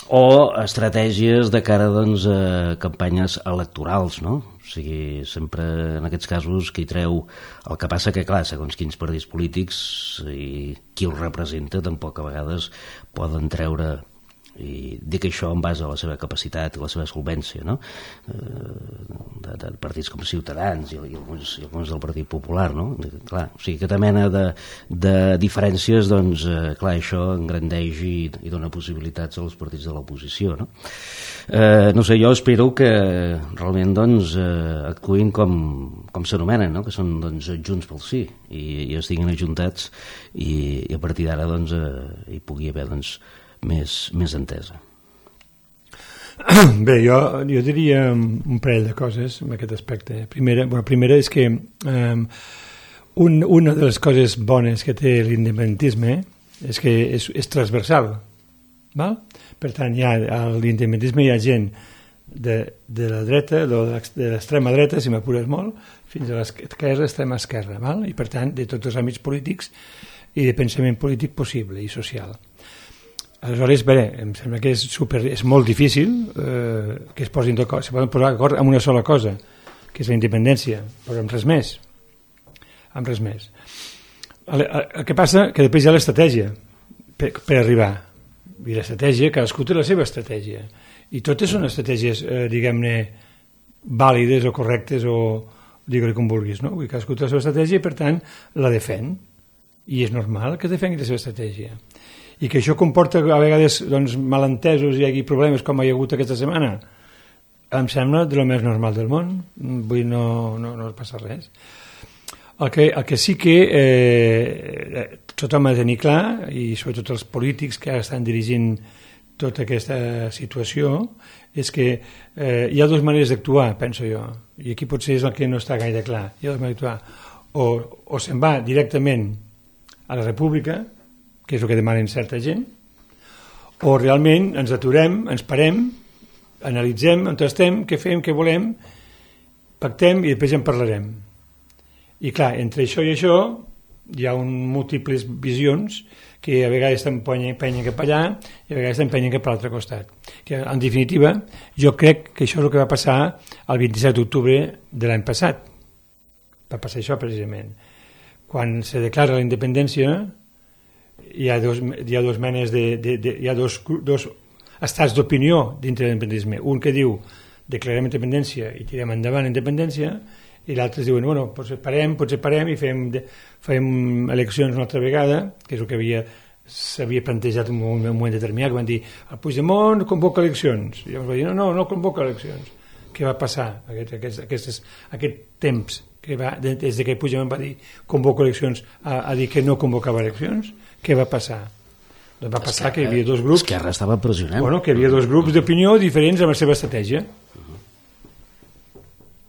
o estratègies de cara doncs, a campanyes electorals, no? O sigui, sempre en aquests casos qui treu el que passa que, clar, segons quins partits polítics i qui els representa tampoc a vegades poden treure, i dic això en base a la seva capacitat i la seva solvència, no? de, de partits com Ciutadans i, i, alguns, i alguns del Partit Popular, no? Clar, o sigui, aquesta mena de, de diferències, doncs, eh, clar, això engrandeix i, i dona possibilitats als partits de l'oposició, no? Eh, no sé, jo espero que realment, doncs, eh, actuïn com, com s'anomenen, no? Que són, doncs, Junts pel Sí, i, i estiguin ajuntats i, i a partir d'ara, doncs, eh, hi pugui haver, doncs, més, més entesa. Bé, jo, jo diria un parell de coses en aquest aspecte. Primera, bueno, primera és que um, un, una de les coses bones que té l'independentisme és que és, és transversal, val? Per tant, hi ha, a l'independentisme hi ha gent de, de la dreta, de l'extrema dreta, si m'apures molt, fins a l'esquerra, l'extrema esquerra, val? I per tant, de tots els àmbits polítics i de pensament polític possible i social. Aleshores, bé, em sembla que és, super, és molt difícil eh, que es posin d'acord, se poden posar d'acord amb una sola cosa, que és la independència, però amb res més. Amb res més. El, el, el que passa que després hi ha l'estratègia per, per arribar. I l'estratègia, cadascú té la seva estratègia. I totes són estratègies, eh, diguem-ne, vàlides o correctes o digue-li com vulguis, no? Vull dir, cadascú té la seva estratègia i, per tant, la defèn. I és normal que defengui la seva estratègia. I que això comporta a vegades doncs, malentesos i hi hagi problemes com hi ha hagut aquesta setmana, em sembla de lo més normal del món. Vull dir, no, no, no passa res. El que, el que sí que eh, tothom ha de tenir clar, i sobretot els polítics que estan dirigint tota aquesta situació, és que eh, hi ha dues maneres d'actuar, penso jo, i aquí potser és el que no està gaire clar. Hi ha dues maneres d'actuar. O, o se'n va directament a la república, que és el que demanen certa gent, o realment ens aturem, ens parem, analitzem, on estem, què fem, què volem, pactem i després en parlarem. I clar, entre això i això hi ha un múltiples visions que a vegades t'empenyen cap allà i a vegades t'empenyen cap a l'altre costat. Que, en definitiva, jo crec que això és el que va passar el vint-i-set d'octubre de l'any passat. Va passar això precisament. Quan se declara la independència hi ha dos, hi ha dos menes de, de, de hi ha dos, dos estats d'opinió dintre de l'independentisme. Un que diu declarem independència i tirem endavant la independència, i l'altre diuen, bueno, potser parem, potser parem i fem, fem eleccions una altra vegada, que és el que havia s'havia plantejat en un moment determinat, que van dir, el Puigdemont convoca eleccions, i llavors va dir, no, no, no convoca eleccions. Què va passar aquest, aquest, aquest, aquest temps que va, des que Puigdemont va dir convoca eleccions a, a dir que no convocava eleccions? Què va passar? Doncs va passar que hi havia dos grups... Esquerra estava pressionant. Bueno, que hi havia dos grups d'opinió diferents amb la seva estratègia.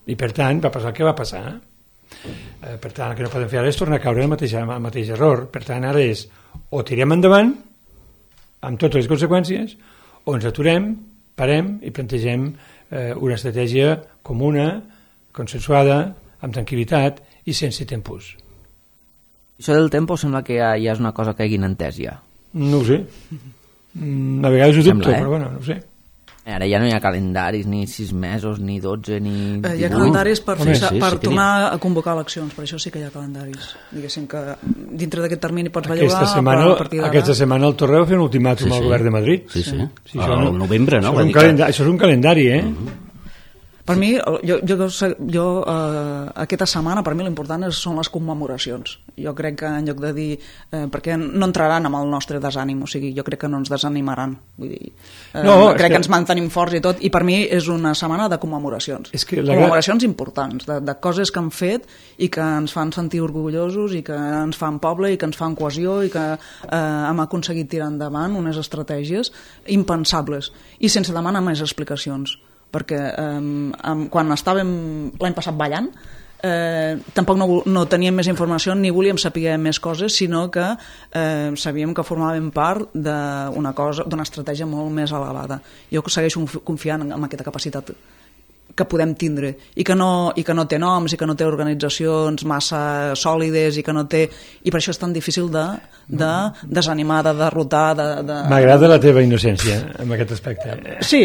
I per tant, va passar el que va passar. Eh, per tant, el que no podem fer ara és tornar a caure el mateix, el mateix error. Per tant, ara és o tirem endavant amb totes les conseqüències, o ens aturem, parem i plantegem eh, una estratègia comuna, consensuada, amb tranquil·litat i sense tempos. Això del tempo sembla que ja, ja és una cosa que hagin entès ja. No ho sé. A vegades ho dubto, sembla, eh? Però bueno, no ho sé. Ara ja no hi ha calendaris, ni sis mesos, ni dotze, ni... Eh, hi ha calendaris per, Home, fixar, sí, per sí tornar ha... a convocar eleccions, per això sí que hi ha calendaris. Diguéssim que dintre d'aquest termini pots bellugar, setmana, però a partir d'ara... Aquesta setmana el Torre va fer un ultimàtum sí, sí. al govern de Madrid. Sí, sí. sí. sí al no, novembre, no? Això és, un calendari, això és un calendari, eh? Uh-huh. Per mi, jo, jo, jo eh, aquesta setmana, per mi l'important són les commemoracions. Jo crec que en lloc de dir... Eh, perquè no entraran amb el nostre desànim, o sigui, jo crec que no ens desanimaran. Vull dir, eh, no, crec que... que ens mantenim forts i tot, i per mi és una setmana de commemoracions. És que la... Commemoracions importants, de, de coses que han fet i que ens fan sentir orgullosos i que ens fan poble i que ens fan cohesió i que eh, hem aconseguit tirar endavant unes estratègies impensables i sense demanar més explicacions. Perquè eh, quan estàvem l'any passat ballant eh, tampoc no, no teníem més informació ni volíem saber més coses, sinó que eh, sabíem que formàvem part d'una cosa, d'una estratègia molt més elevada. Jo segueixo confiant en, en aquesta capacitat que podem tindre i que, no, i que no té noms i que no té organitzacions massa sòlides i que no té... I per això és tan difícil de, de desanimar, de derrotar... De, de... M'agrada la teva innocència en aquest aspecte. Sí.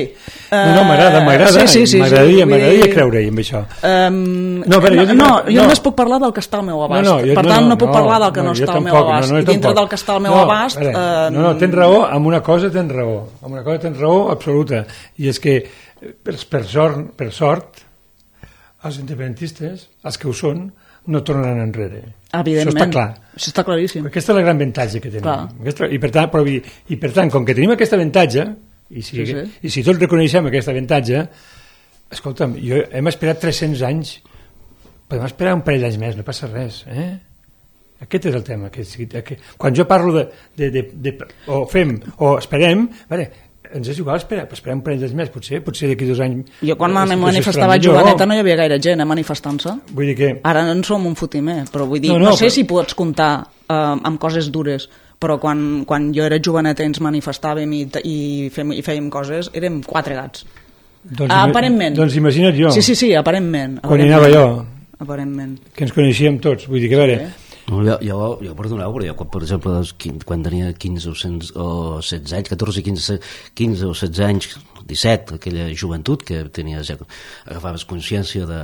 No, no, m'agrada, m'agrada. Sí, sí, sí, m'agradaria sí, m'agradaria dir... creure-hi amb això. Um, no, però jo, no, no, jo no. només puc parlar del que està al meu abast. No, no, jo, per tant, no, no puc no, parlar del que no, no està al meu abast. No, no, I dintre tampoc. Del que està al meu no, abast... Veure, eh... No, no, tens raó, amb una cosa tens raó. Amb una cosa tens raó absoluta. I és que, per, per, sort, per sort, els independentistes, els que ho són, no tornaran enrere. Evidentment. Això està clar. Això està claríssim. Aquesta és la gran avantatge que tenim. Aquesta, i, per tant, però, i, I per tant, com que tenim aquesta avantatge, i si, sí, sí. i si tots reconeixem aquesta avantatge, escolta'm, jo, hem esperat tres-cents anys, podem esperar un parell d'anys més, no passa res. Eh? Aquest és el tema. Que, que, quan jo parlo de, de, de, de... o fem, o esperem, veure, ens és igual esperar, esperar un parell d'anys més, potser, potser d'aquí dos anys... Jo quan me manifestava joveneta no hi havia gaire gent eh, manifestant-se. Vull dir que... Ara en som un fotimer, però vull dir, no, no, no sé però... si pots comptar eh, amb coses dures, però quan, quan jo era joveneta i ens manifestàvem i, i, fem, i fèiem coses, érem quatre gats. Doncs, ah, aparentment. Doncs imagina't jo. Sí, sí, sí, aparentment. Quan hi anava jo. Aparentment. Que ens coneixíem tots, vull dir que a veure... Sí. No, jo, jo, jo perdoneu, però jo, quan, per exemple, quan tenia quinze o, cent, o setze anys, catorze, quinze, quinze o setze anys, disset, aquella joventut que tenies, ja agafaves consciència de,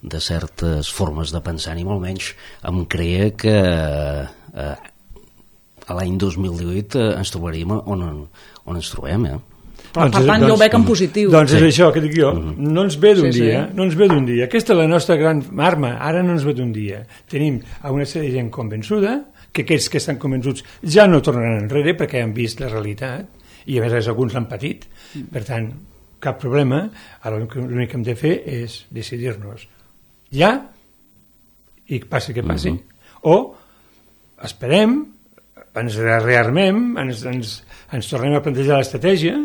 de certes formes de pensar, ni molt menys em creia que eh, a l'any dos mil divuit eh, ens trobaríem on, on ens trobem, eh? Però, doncs, per tant, doncs, jo ho veig en positiu. Doncs sí. És això que dic jo, no ens ve d'un sí, dia, sí. no ens ve d'un dia. Aquesta és la nostra gran arma, ara no ens ve d'un dia. Tenim una sèrie de gent convençuda, que aquests que estan convençuts ja no tornaran enrere perquè han vist la realitat, i a més alguns l'han patit, per tant, cap problema, ara l'únic que hem de fer és decidir-nos ja, i passi que passi, uh-huh. o esperem, ens rearmem, ens, ens, ens tornem a plantejar l'estratègia,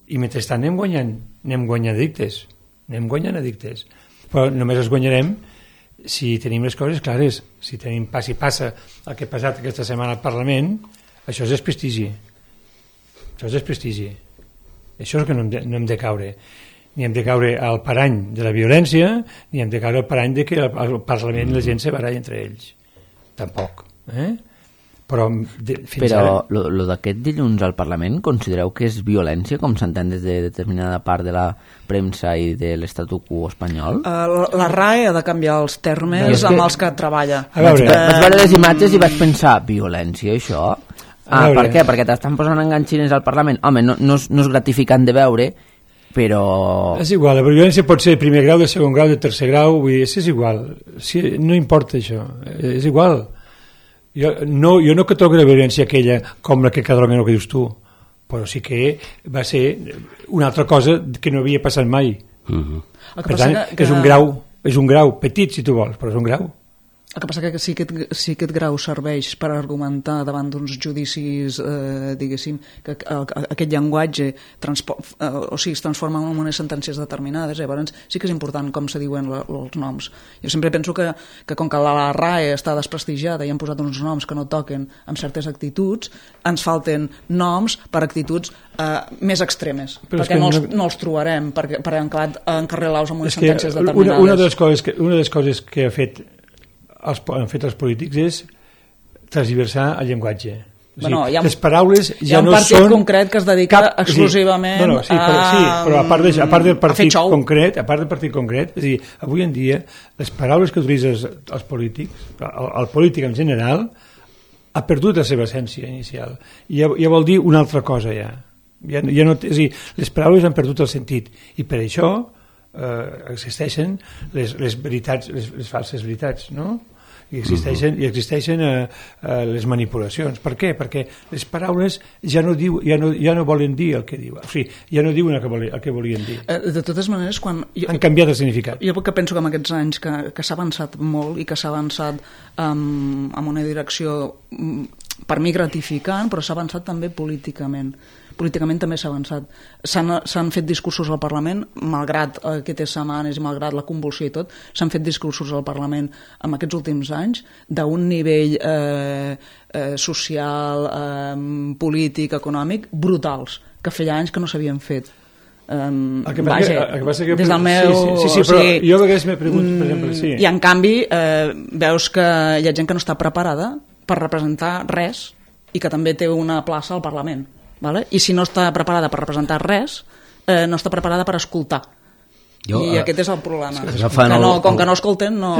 i mentrestant anem guanyant, anem guanyant addictes, anem guanyant addictes. Però només els guanyarem si tenim les coses clares, si tenim pas i passa el que ha passat aquesta setmana al Parlament, això és desprestigi. Això és desprestigi. Això és que no hem de, no hem de caure. Ni hem de caure al parany de la violència, ni hem de caure al parany de que al Parlament la gent se baralla entre ells. Tampoc. Eh? Però, de, fins però ara... lo, lo d'aquest dilluns al Parlament considereu que és violència, com s'entén des de determinada part de la premsa i de l'estatu quo espanyol? Uh, la, la R A E ha de canviar els termes no, que... amb els que treballa. A veure, vaig, vaig veure les imatges i vaig pensar, violència, això? Ah, per què? Perquè t'estan posant enganxines al Parlament. Home, no, no, és, no és gratificant de veure, però... És igual, la violència pot ser de primer grau, de segon grau, de tercer grau, vull dir, és igual. Sí, no importa això, és igual. Jo no, jo no que trobo la violència aquella com la que Catalunya no que dius tu, però sí que va ser una altra cosa que no havia passat mai. Uh-huh. Per tant, que... és un grau, és un grau petit si tu vols, però és un grau. El que passa que si aquest, si aquest grau serveix per argumentar davant d'uns judicis, eh, diguéssim, que el, aquest llenguatge transpo, eh, o sigui, es transforma en unes sentències determinades, llavors sí que és important com se diuen la, els noms. Jo sempre penso que, que com que la R A E està desprestigiada i han posat uns noms que no toquen amb certes actituds, ens falten noms per actituds eh, més extremes, però perquè no els, no... no els trobarem per, per encarrilar-los amb unes sentències determinades. Una, una, de les coses que, una de les coses que ha fet els, han fet els polítics és transversar el llenguatge. O sigui, bueno, ha, les paraules ja no són... Hi ha un partit concret que es dedica cap, exclusivament sí, no, no, sí, però, sí, però a part, de, a part del partit a concret, a part del partit concret, és a dir, avui en dia les paraules que utilitzen els polítics, el, el polític en general, ha perdut la seva essència inicial. I ja, ja vol dir una altra cosa ja. Ja, ja no, és a dir, les paraules han perdut el sentit i per això eh, existeixen les, les veritats, les, les falses veritats, no? I existeixen, uh-huh. i existeixen eh, eh, les manipulacions. Per què? Perquè les paraules ja no, diu, ja no, ja no volen dir el que diuen. O sigui, ja no diuen el que, voli, el que volien dir. Eh, de totes maneres, quan... Jo, han canviat el significat. Jo que penso que en aquests anys que, que s'ha avançat molt i que s'ha avançat um, en una direcció, um, per mi gratificant, però s'ha avançat també políticament. políticament també s'ha avançat. S'han fet discursos al Parlament, malgrat aquestes setmanes i malgrat la convulsió i tot, s'han fet discursos al Parlament en aquests últims anys d'un nivell eh, eh, social, eh, polític, econòmic, brutals, que feia anys que no s'havien fet. Um, el que vaja, que, que que, des del meu... Sí, sí, sí, sí, però o sigui, jo a vegades m'he preguntat, per exemple, sí. I en canvi eh, veus que hi ha gent que no està preparada per representar res i que també té una plaça al Parlament, vale? I si no està preparada per representar res, eh, no està preparada per escoltar. Jo, I uh, aquest és el problema, que no, el, com que no escolten no,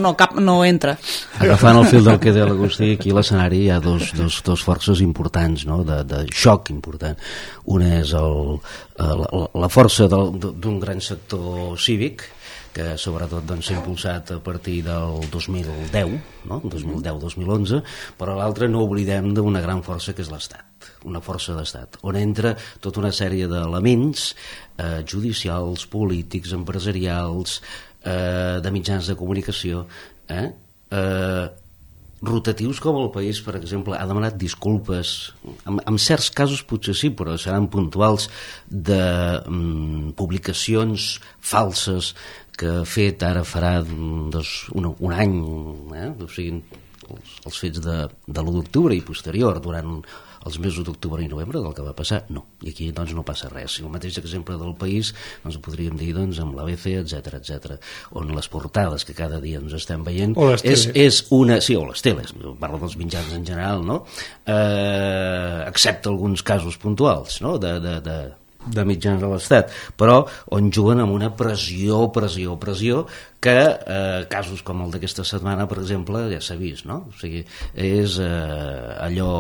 no, cap, no entra. Agafant el fil del que deia l'Agustí, aquí a l'escenari hi ha dos, dos, dos forces importants, no? de, de xoc important. Una és el, la, la força d'un gran sector cívic que sobretot doncs, s'ha impulsat a partir del dos mil deu, no? dos mil deu dos mil onze, però l'altra no oblidem d'una gran força que és l'Estat, una força d'Estat, on entra tota una sèrie d'elements eh, judicials, polítics, empresarials, eh, de mitjans de comunicació, eh, eh, rotatius com el país, per exemple, ha demanat disculpes, en, en certs casos potser sí, però seran puntuals, de mm, publicacions falses que ha fet ara farà dos, un, un any, eh? O sigui, els, els fets de, de l'u d'octubre i posterior, durant els mesos d'octubre i novembre del que va passar, no. I aquí doncs no passa res. I el mateix exemple del país, doncs ho podríem dir doncs, amb l'A B C, etcètera, etcètera, on les portades que cada dia ens estem veient és, és una... Sí, o les teles, parlo dels mitjans en general, no? Eh, excepte alguns casos puntuals, no? De... de, de de mitjans de l'Estat, però on juguen amb una pressió, pressió, pressió, que eh, casos com el d'aquesta setmana, per exemple, ja s'ha vist, no? O sigui, és eh, allò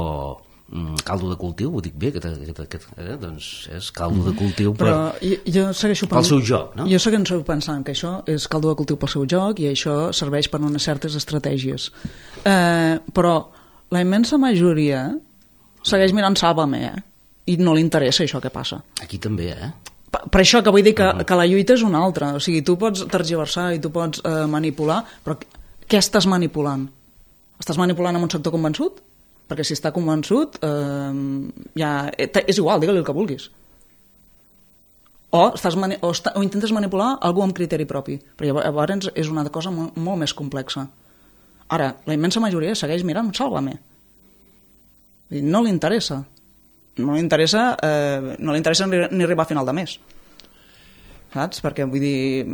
mm, caldo de cultiu, ho dic bé, aquest, aquest, aquest, eh? Doncs és caldo de cultiu per, però jo, jo segueixo pel seu joc, no? Jo segueixo pensant que això és caldo de cultiu pel seu joc i això serveix per unes certes estratègies. Eh, però la immensa majoria segueix mirant Sálvame, eh? I no li interessa això que passa. Aquí també, eh? Per, per això que vull dir que, uh-huh. que la lluita és una altra. O sigui, tu pots tergiversar i tu pots eh, manipular, però què estàs manipulant? Estàs manipulant amb un sector convençut? Perquè si està convençut, eh, ja, és igual, digue-li el que vulguis. O, estàs mani o, està, o intentes manipular algú amb criteri propi. Però llavors és una cosa molt, molt més complexa. Ara, la immensa majoria segueix mirant Sálvame. No li interessa. no li interessa, eh, no li interessa ni, ni arribar a final de mes, saps? Perquè vull dir,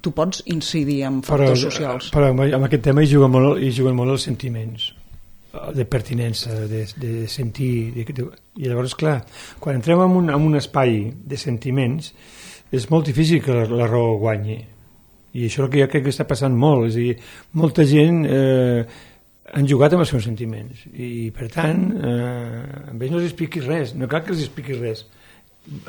tu pots incidir en factors però, socials. Però amb aquest tema hi juguen molt, hi juguen molt els sentiments de pertinença, de, de sentir, de, de, i llavors clar, quan entrem en un, en un espai de sentiments és molt difícil que la, la raó guanyi, i això és el que jo crec que està passant molt, és a dir, molta gent eh, han jugat amb els seus sentiments i per tant eh, a ells no els expliquis res, no cal que els expliquis res.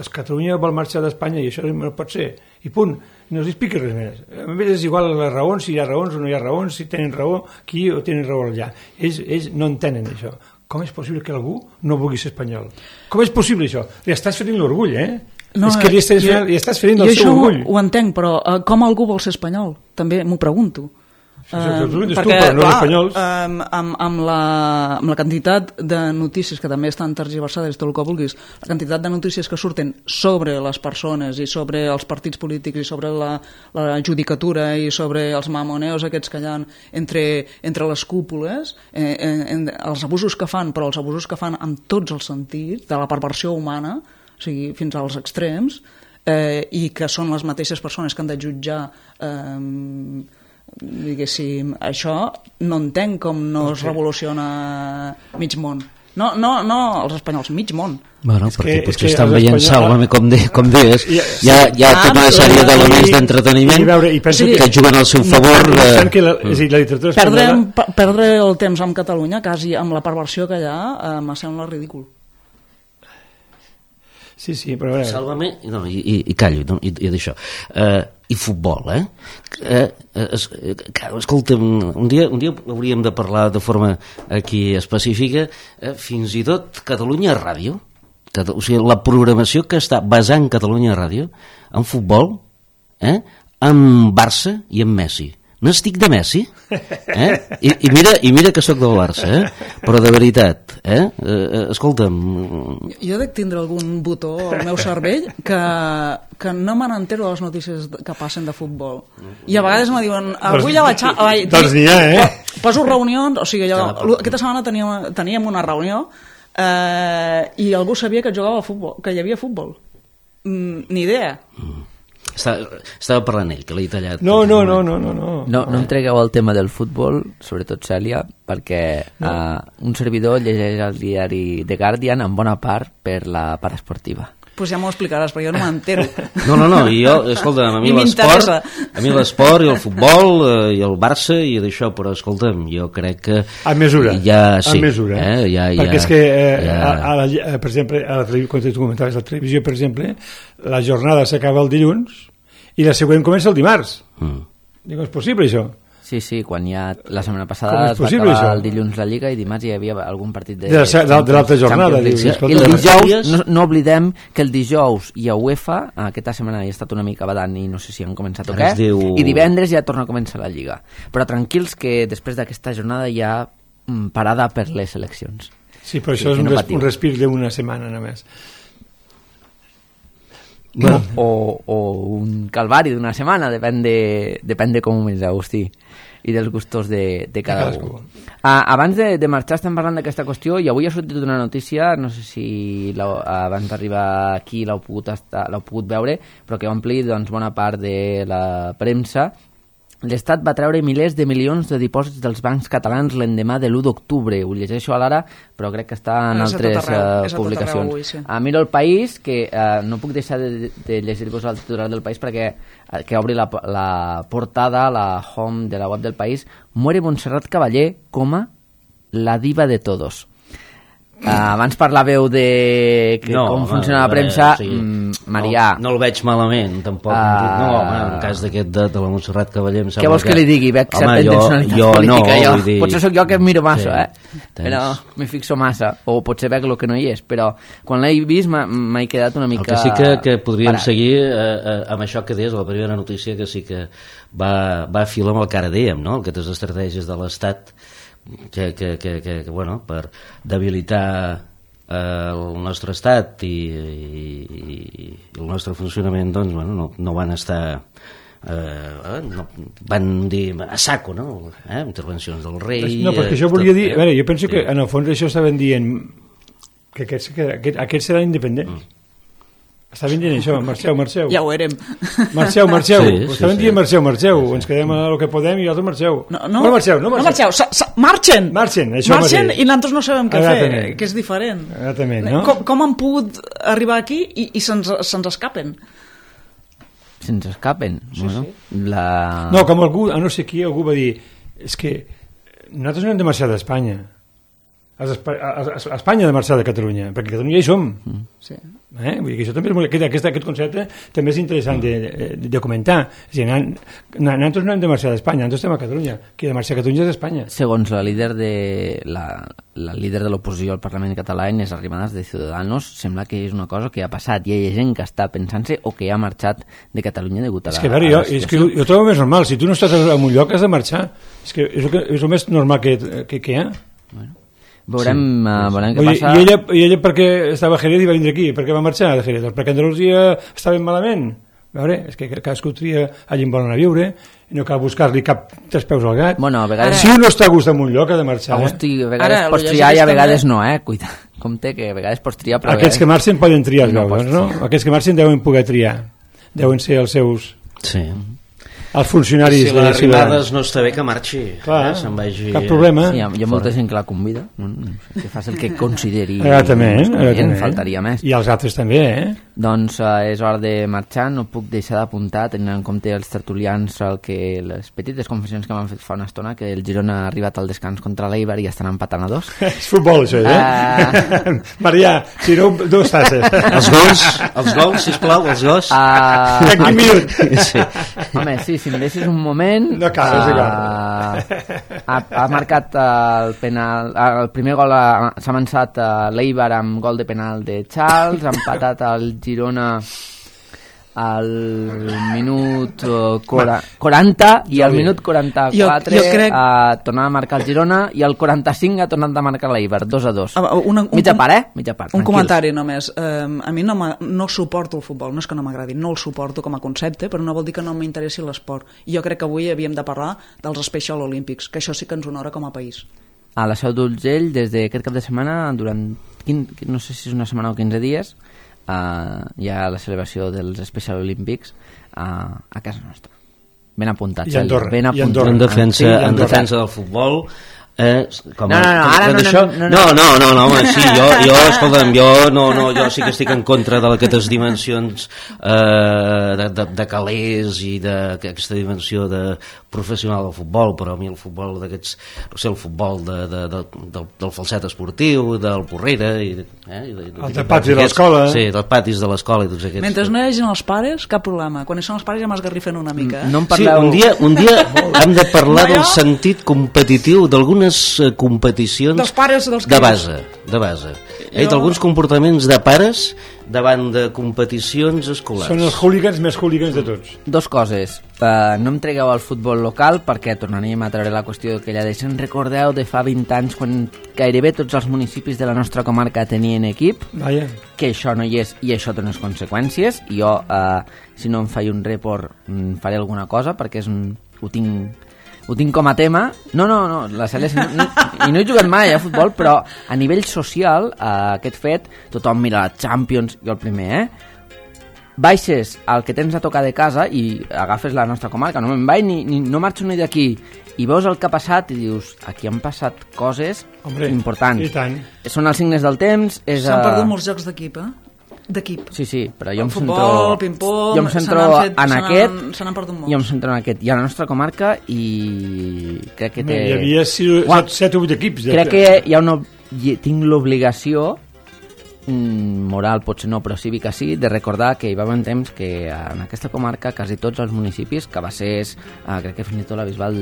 Es Catalunya vol marxar d'Espanya i això no pot ser, i punt, no els expliquis res més. A més és igual les raons, si hi ha raons o no hi ha raons, si tenen raó aquí o tenen raó allà. Ells, ells no entenen això. Com és possible que algú no vulgui ser espanyol? Com és possible això? Li estàs ferint l'orgull, eh? No, és que li estàs, jo, li estàs ferint el seu orgull. Jo això ho entenc, però uh, com algú vol ser espanyol? També m'ho pregunto. Uh, perquè, tu, no clar, um, amb, amb, la, amb la quantitat de notícies que també estan tergiversades, tot el que vulguis, la quantitat de notícies que surten sobre les persones i sobre els partits polítics i sobre la, la judicatura i sobre els mamoneos aquests que hi ha entre, entre les cúpules, eh, en, en, els abusos que fan, però els abusos que fan amb tots els sentits, de la perversió humana, o sigui, fins als extrems, eh, i que són les mateixes persones que han de jutjar eh, diguéssim, això no entenc com no es revoluciona mig món. No, no, no els espanyols, mig món. Bueno, és perquè que, potser que estan veient Sálvame, com, de, com deies. Hi ha, hi ha ah, tota una sèrie d'elements d'entreteniment que, sí, que juguen al seu favor. De... Que la, és a dir, la literatura perdre, espanyola... perdre el temps amb Catalunya, quasi amb la perversió que hi ha, eh, me sembla ridícul. Sí, sí, però... Veure... Sálvame, no, i, i, i callo, no, i, i d'això. Uh, I futbol, eh? Uh, es, uh, escolta'm, un dia, un dia hauríem de parlar de forma aquí específica, uh, fins i tot Catalunya Ràdio, Cata, o sigui, la programació que està basant Catalunya Ràdio en futbol, eh? Amb Barça i amb Messi. n'estic de Messi, eh? I, i, mira, i mira que sóc del Barça, eh? Però de veritat, eh? eh escolta'm... Jo dec tindre algun botó al meu cervell que, que no me n'entero de les notícies que passen de futbol. I a vegades me diuen, avui ja vaig... Ai, doncs n'hi ha, eh? Poso reunions, o sigui, jo, aquesta setmana teníem, teníem una reunió eh, i algú sabia que jugava a futbol, que hi havia futbol. Mm, ni idea. Mm. Estava, estava parlant ell, que l'he tallat. No, no, no, no, no, no. No, no em tregueu el tema del futbol, sobretot Cèlia, perquè no. uh, un servidor llegeix el diari The Guardian en bona part per la part esportiva. Doncs pues ja m'ho explicaràs, però jo no m'entero. No, no, no, i jo, escolta, a mi l'esport, a mi l'esport i el futbol eh, i el Barça i d'això, però escolta'm, jo crec que... A mesura, ja, sí, a mesura. Eh, ja, perquè ja, és que, eh, ja... a, a la, a, per exemple, a la, quan tu comentaves la televisió, per exemple, la jornada s'acaba el dilluns i la següent comença el dimarts. Mm. Dic, és possible això? Sí, sí, quan hi ha... La setmana passada es va acabar això? El dilluns la Lliga i dimarts hi havia algun partit de... De l'altra jornada. Dius, I el dijous, no, no oblidem que el dijous hi ha UEFA, aquesta setmana hi ha estat una mica badant i no sé si han començat o què, diu... i divendres ja torna a començar la Lliga. Però tranquils que després d'aquesta jornada hi ha parada per les eleccions. Sí, però això sí, és un, no res, un respir d'una setmana només. Bueno. O, o un calvari d'una setmana, depèn de, depèn de com ho menys, Agustí, i dels gustos de, de cada un. Ah, abans de, de marxar estem parlant d'aquesta qüestió i avui ha sortit una notícia, no sé si abans d'arribar aquí l'heu pogut, estar, l'heu pogut veure, però que ompli doncs, bona part de la premsa. L'Estat va treure milers de milions de dipòsits dels bancs catalans l'endemà de l'u d'octubre. Ho llegeixo a l'Ara, però crec que està en és altres arreu, uh, publicacions. Avui, sí. A miro el País, que uh, no puc deixar de, de llegir-vos el titular del País perquè uh, que obri la, la portada, la home de la web del País. Muere Montserrat Caballé, coma, la diva de todos. Uh, abans parlàveu de que no, com funciona la premsa, sí. mm, Marià... No, no el veig malament, tampoc. Uh, no, home, en cas d'aquest de, de la Montserrat Caballé... Què vols que, que li digui? Veig certa intencionalitat jo, política. No, jo. Dir... Potser sóc jo que em miro massa, sí. eh? Tens... Però m'hi fixo massa. O potser veig el que no hi és. Però quan l'he vist m'he quedat una mica... El que sí que, que podríem parat. seguir eh, eh, amb això que deies, la primera notícia, que sí que va, va a fil amb el que ara dèiem, no? Aquestes estratègies de l'Estat que, que, que, que, que bueno, per debilitar eh, el nostre estat i, i, i el nostre funcionament doncs, bueno, no, no van estar eh, no, van dir a saco, no? Eh? Intervencions del rei... No, perquè això volia dir... A veure, jo penso sí. que en el fons això estaven dient que aquests, que aquest, aquests seran independents. Mm. Estaven dient això, marxeu, marxeu. Ja ho érem. Marxeu, marxeu. Sí, sí, sí. estaven dient marxeu, marxeu. Sí, sí. Ens quedem a el que podem i altres marxeu. No, no, no marxeu, no marxeu. No marxeu, sa, sa, marxen. Marxen, això marxen i nosaltres no sabem què Exactament. fer, que és diferent. Exactament, no? Com, com han pogut arribar aquí i, i se'ns, se'ns escapen? Se'ns escapen? Sí, bueno, sí. La... No, com algú, a no sé qui, algú va dir és que nosaltres no hem de marxar d'Espanya. A Espanya de marxar de Catalunya, perquè Catalunya hi som. Mm. Sí. Eh? Vull dir que això també és molt, aquest, aquest concepte també és interessant de, de, de comentar. És a dir, nosaltres no hem de marxar d'Espanya, nosaltres estem a Catalunya. Qui ha de marxar a Catalunya és Espanya. Segons la líder de la, la líder de l'oposició al Parlament català, Inés Arrimadas, de Ciudadanos, sembla que és una cosa que ha passat i hi ha gent que està pensant-se o que ha marxat de Catalunya degut a la, és que, a veure, jo, és que jo trobo més normal. Si tu no estàs en un lloc has de marxar. És que és el, que, és el més normal que, que, que hi ha. Bueno. Veurem, sí, uh, veurem què Oye, passa. I ella, i ella per què estava a Jerez i va vindre aquí? Per què va marxar de Jerez? Perquè Andalusia estava malament. A veure, és que cadascú tria allà on volen a viure i no cal buscar-li cap tres peus al gat. Bueno, a vegades... Si un no està a gust en un lloc ha de marxar. Agosti, a vegades Ara, pots triar i a vegades també... no, eh? Cuida, compte que a vegades pots triar... Però Aquests vegades... que marxen poden triar els no veus, no? Aquests que marxen deuen poder triar. Deuen ser els seus... Sí. Els funcionaris si les Arrimadas no està bé que marxi. Clar, eh? Se'n vagi... cap problema. Sí, hi ha, hi ha molta gent que la convida, que fas el que consideri. Exactament, exactament. Faltaria més. I els altres també, eh? Doncs eh, és hora de marxar, no puc deixar d'apuntar, tenint en compte els tertulians, el que les petites confessions que m'han fet fa una estona, que el Girona ha arribat al descans contra l'Eibar i estan empatant a dos. És futbol, això, eh? Uh... Marià, si no, dos tasses. Els gols, els gols, sisplau, els gols. Uh... En quin minut? Sí. Home, sí, si em deixes un moment... No cal, és igual. Uh, ha, ha marcat el penal... El primer gol s'ha avançat a l'Eibar amb gol de penal de Charles, ha empatat el Girona al minut quaranta i al minut quaranta-quatre jo, jo crec... a tornar a marcar el Girona i al quaranta-cinc ha tornat a marcar l'Eibar, dos a dos. Una, un, mitja part, eh? Mitja part, un tranquils. Comentari només. Um, a mi no, no suporto el futbol, no és que no m'agradi, no el suporto com a concepte, però no vol dir que no m'interessi l'esport. I jo crec que avui havíem de parlar dels Special Olympics, que això sí que ens honora com a país. A la Seu d'Urgell, des d'aquest cap de setmana, durant, no sé si és una setmana o quinze dies, Uh, hi ha la celebració dels Special Olympics uh, a casa nostra. Ben apuntat, I Andorra, ben apuntat. I Andorra. En defensa, sí, en defensa del futbol. Eh, com no, no, no, ara no, no, no, no, no, no, no, home, sí, jo, jo, escolta'm, jo, no, no, jo sí que estic en contra d'aquestes dimensions eh, de, de, de calés i d'aquesta dimensió de professional del futbol, però a mi el futbol d'aquests, no sé, el futbol de, de, de, del, del falset esportiu, del Porrera, i, eh, i de, el de patis de l'escola. Sí, dels patis de l'escola i tots aquests. Mentre no hi hagi els pares, cap problema. Quan hi són els pares ja m'esgarrifen una mica. Eh? No em parleu... Sí, un dia, un dia hem de parlar no, del sentit competitiu d'algunes competicions dels pares, dels de base, de base. Jo... d'alguns comportaments de pares davant de competicions escolars. Són els hooligans més hooligans de tots. Dos coses. Uh, no em tregueu al futbol local perquè tornaríem a treure la qüestió que ella deixen. Recordeu de fa vint anys quan gairebé tots els municipis de la nostra comarca tenien equip, Vaya. que això no hi és i això té unes conseqüències. I jo, uh, si no em faig un report, faré alguna cosa perquè és un... ho tinc ho tinc com a tema. No, no, no, la Cèlia no, no, i no he jugat mai a futbol, però a nivell social, eh, aquest fet, tothom mira la Champions, jo el primer, eh? Baixes al que tens a tocar de casa i agafes la nostra comarca, no me'n vaig ni, ni no marxo ni d'aquí, i veus el que ha passat i dius, aquí han passat coses Hombre, importants. I tant. Són els signes del temps. És, S'han uh... perdut molts jocs d'equip, eh? D'equip. Sí, sí, però jo em futbol, centro... ping-pong, jo em centro fet, en aquest... Se n'han perdut molts. Jo em centro en aquest. I a la nostra comarca i crec que té... Hi havia set o vuit equips. De... Crec que hi ha una... tinc l'obligació moral, potser no, però cívica sí, de recordar que hi va haver un temps que en aquesta comarca quasi tots els municipis, Cabassers, eh, crec que fins i tot la Bisbal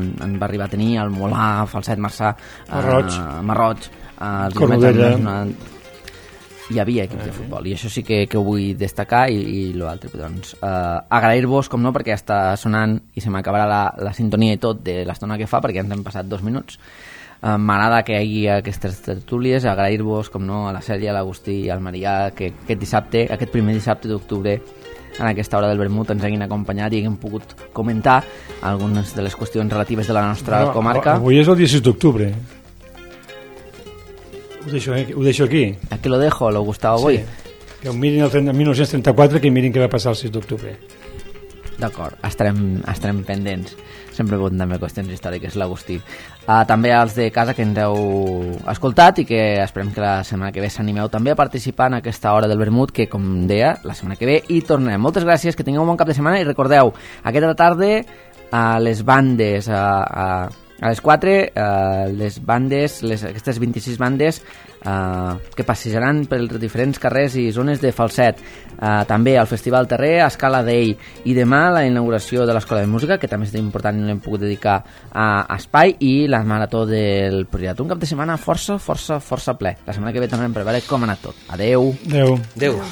en, en va arribar a tenir, el Molà, Falset, Marçà, eh, Marroig, Marroig eh, Cornudella... Una... hi havia equips de futbol i això sí que, que ho vull destacar i, i l'altre, doncs, eh, agrair-vos com no, perquè està sonant i se m'acabarà la, la sintonia i tot de l'estona que fa perquè ens hem passat dos minuts. eh, m'agrada que hi hagi aquestes tertúlies, agrair-vos com no a la Cèlia, a l'Agustí i al Marià que aquest dissabte, aquest primer dissabte d'octubre en aquesta hora del vermut ens hagin acompanyat i haguem pogut comentar algunes de les qüestions relatives de la nostra no, comarca. Avui és el disset d'octubre. Ho deixo, eh? Ho deixo aquí. Aquí lo dejo, lo Gustavo Boy. Sí. Que ho mirin el dinou trenta-quatre, que mirin què va passar el sis d'octubre. D'acord, estarem, estarem pendents. Sempre bon també qüestions històriques, l'Agustí. Uh, també als de casa que ens heu escoltat i que esperem que la setmana que ve s'animeu també a participar en aquesta hora del vermut que, com deia, la setmana que ve hi tornem. Moltes gràcies, que tingueu un bon cap de setmana i recordeu, aquesta tarda a les bandes... A, a, A les quatre, eh, les bandes, les, aquestes vint-i-sis bandes eh, que passejaran pels diferents carrers i zones de Falset. Eh, també al Festival Terrer, a Escala d'Ell. I demà la inauguració de l'Escola de Música, que també és important i no l'hem pogut dedicar a, a espai, i la marató del Priorat. Un cap de setmana força, força, força ple. La setmana que ve tornem per veure com ha anat tot. Adeu. Adeu. Adeu.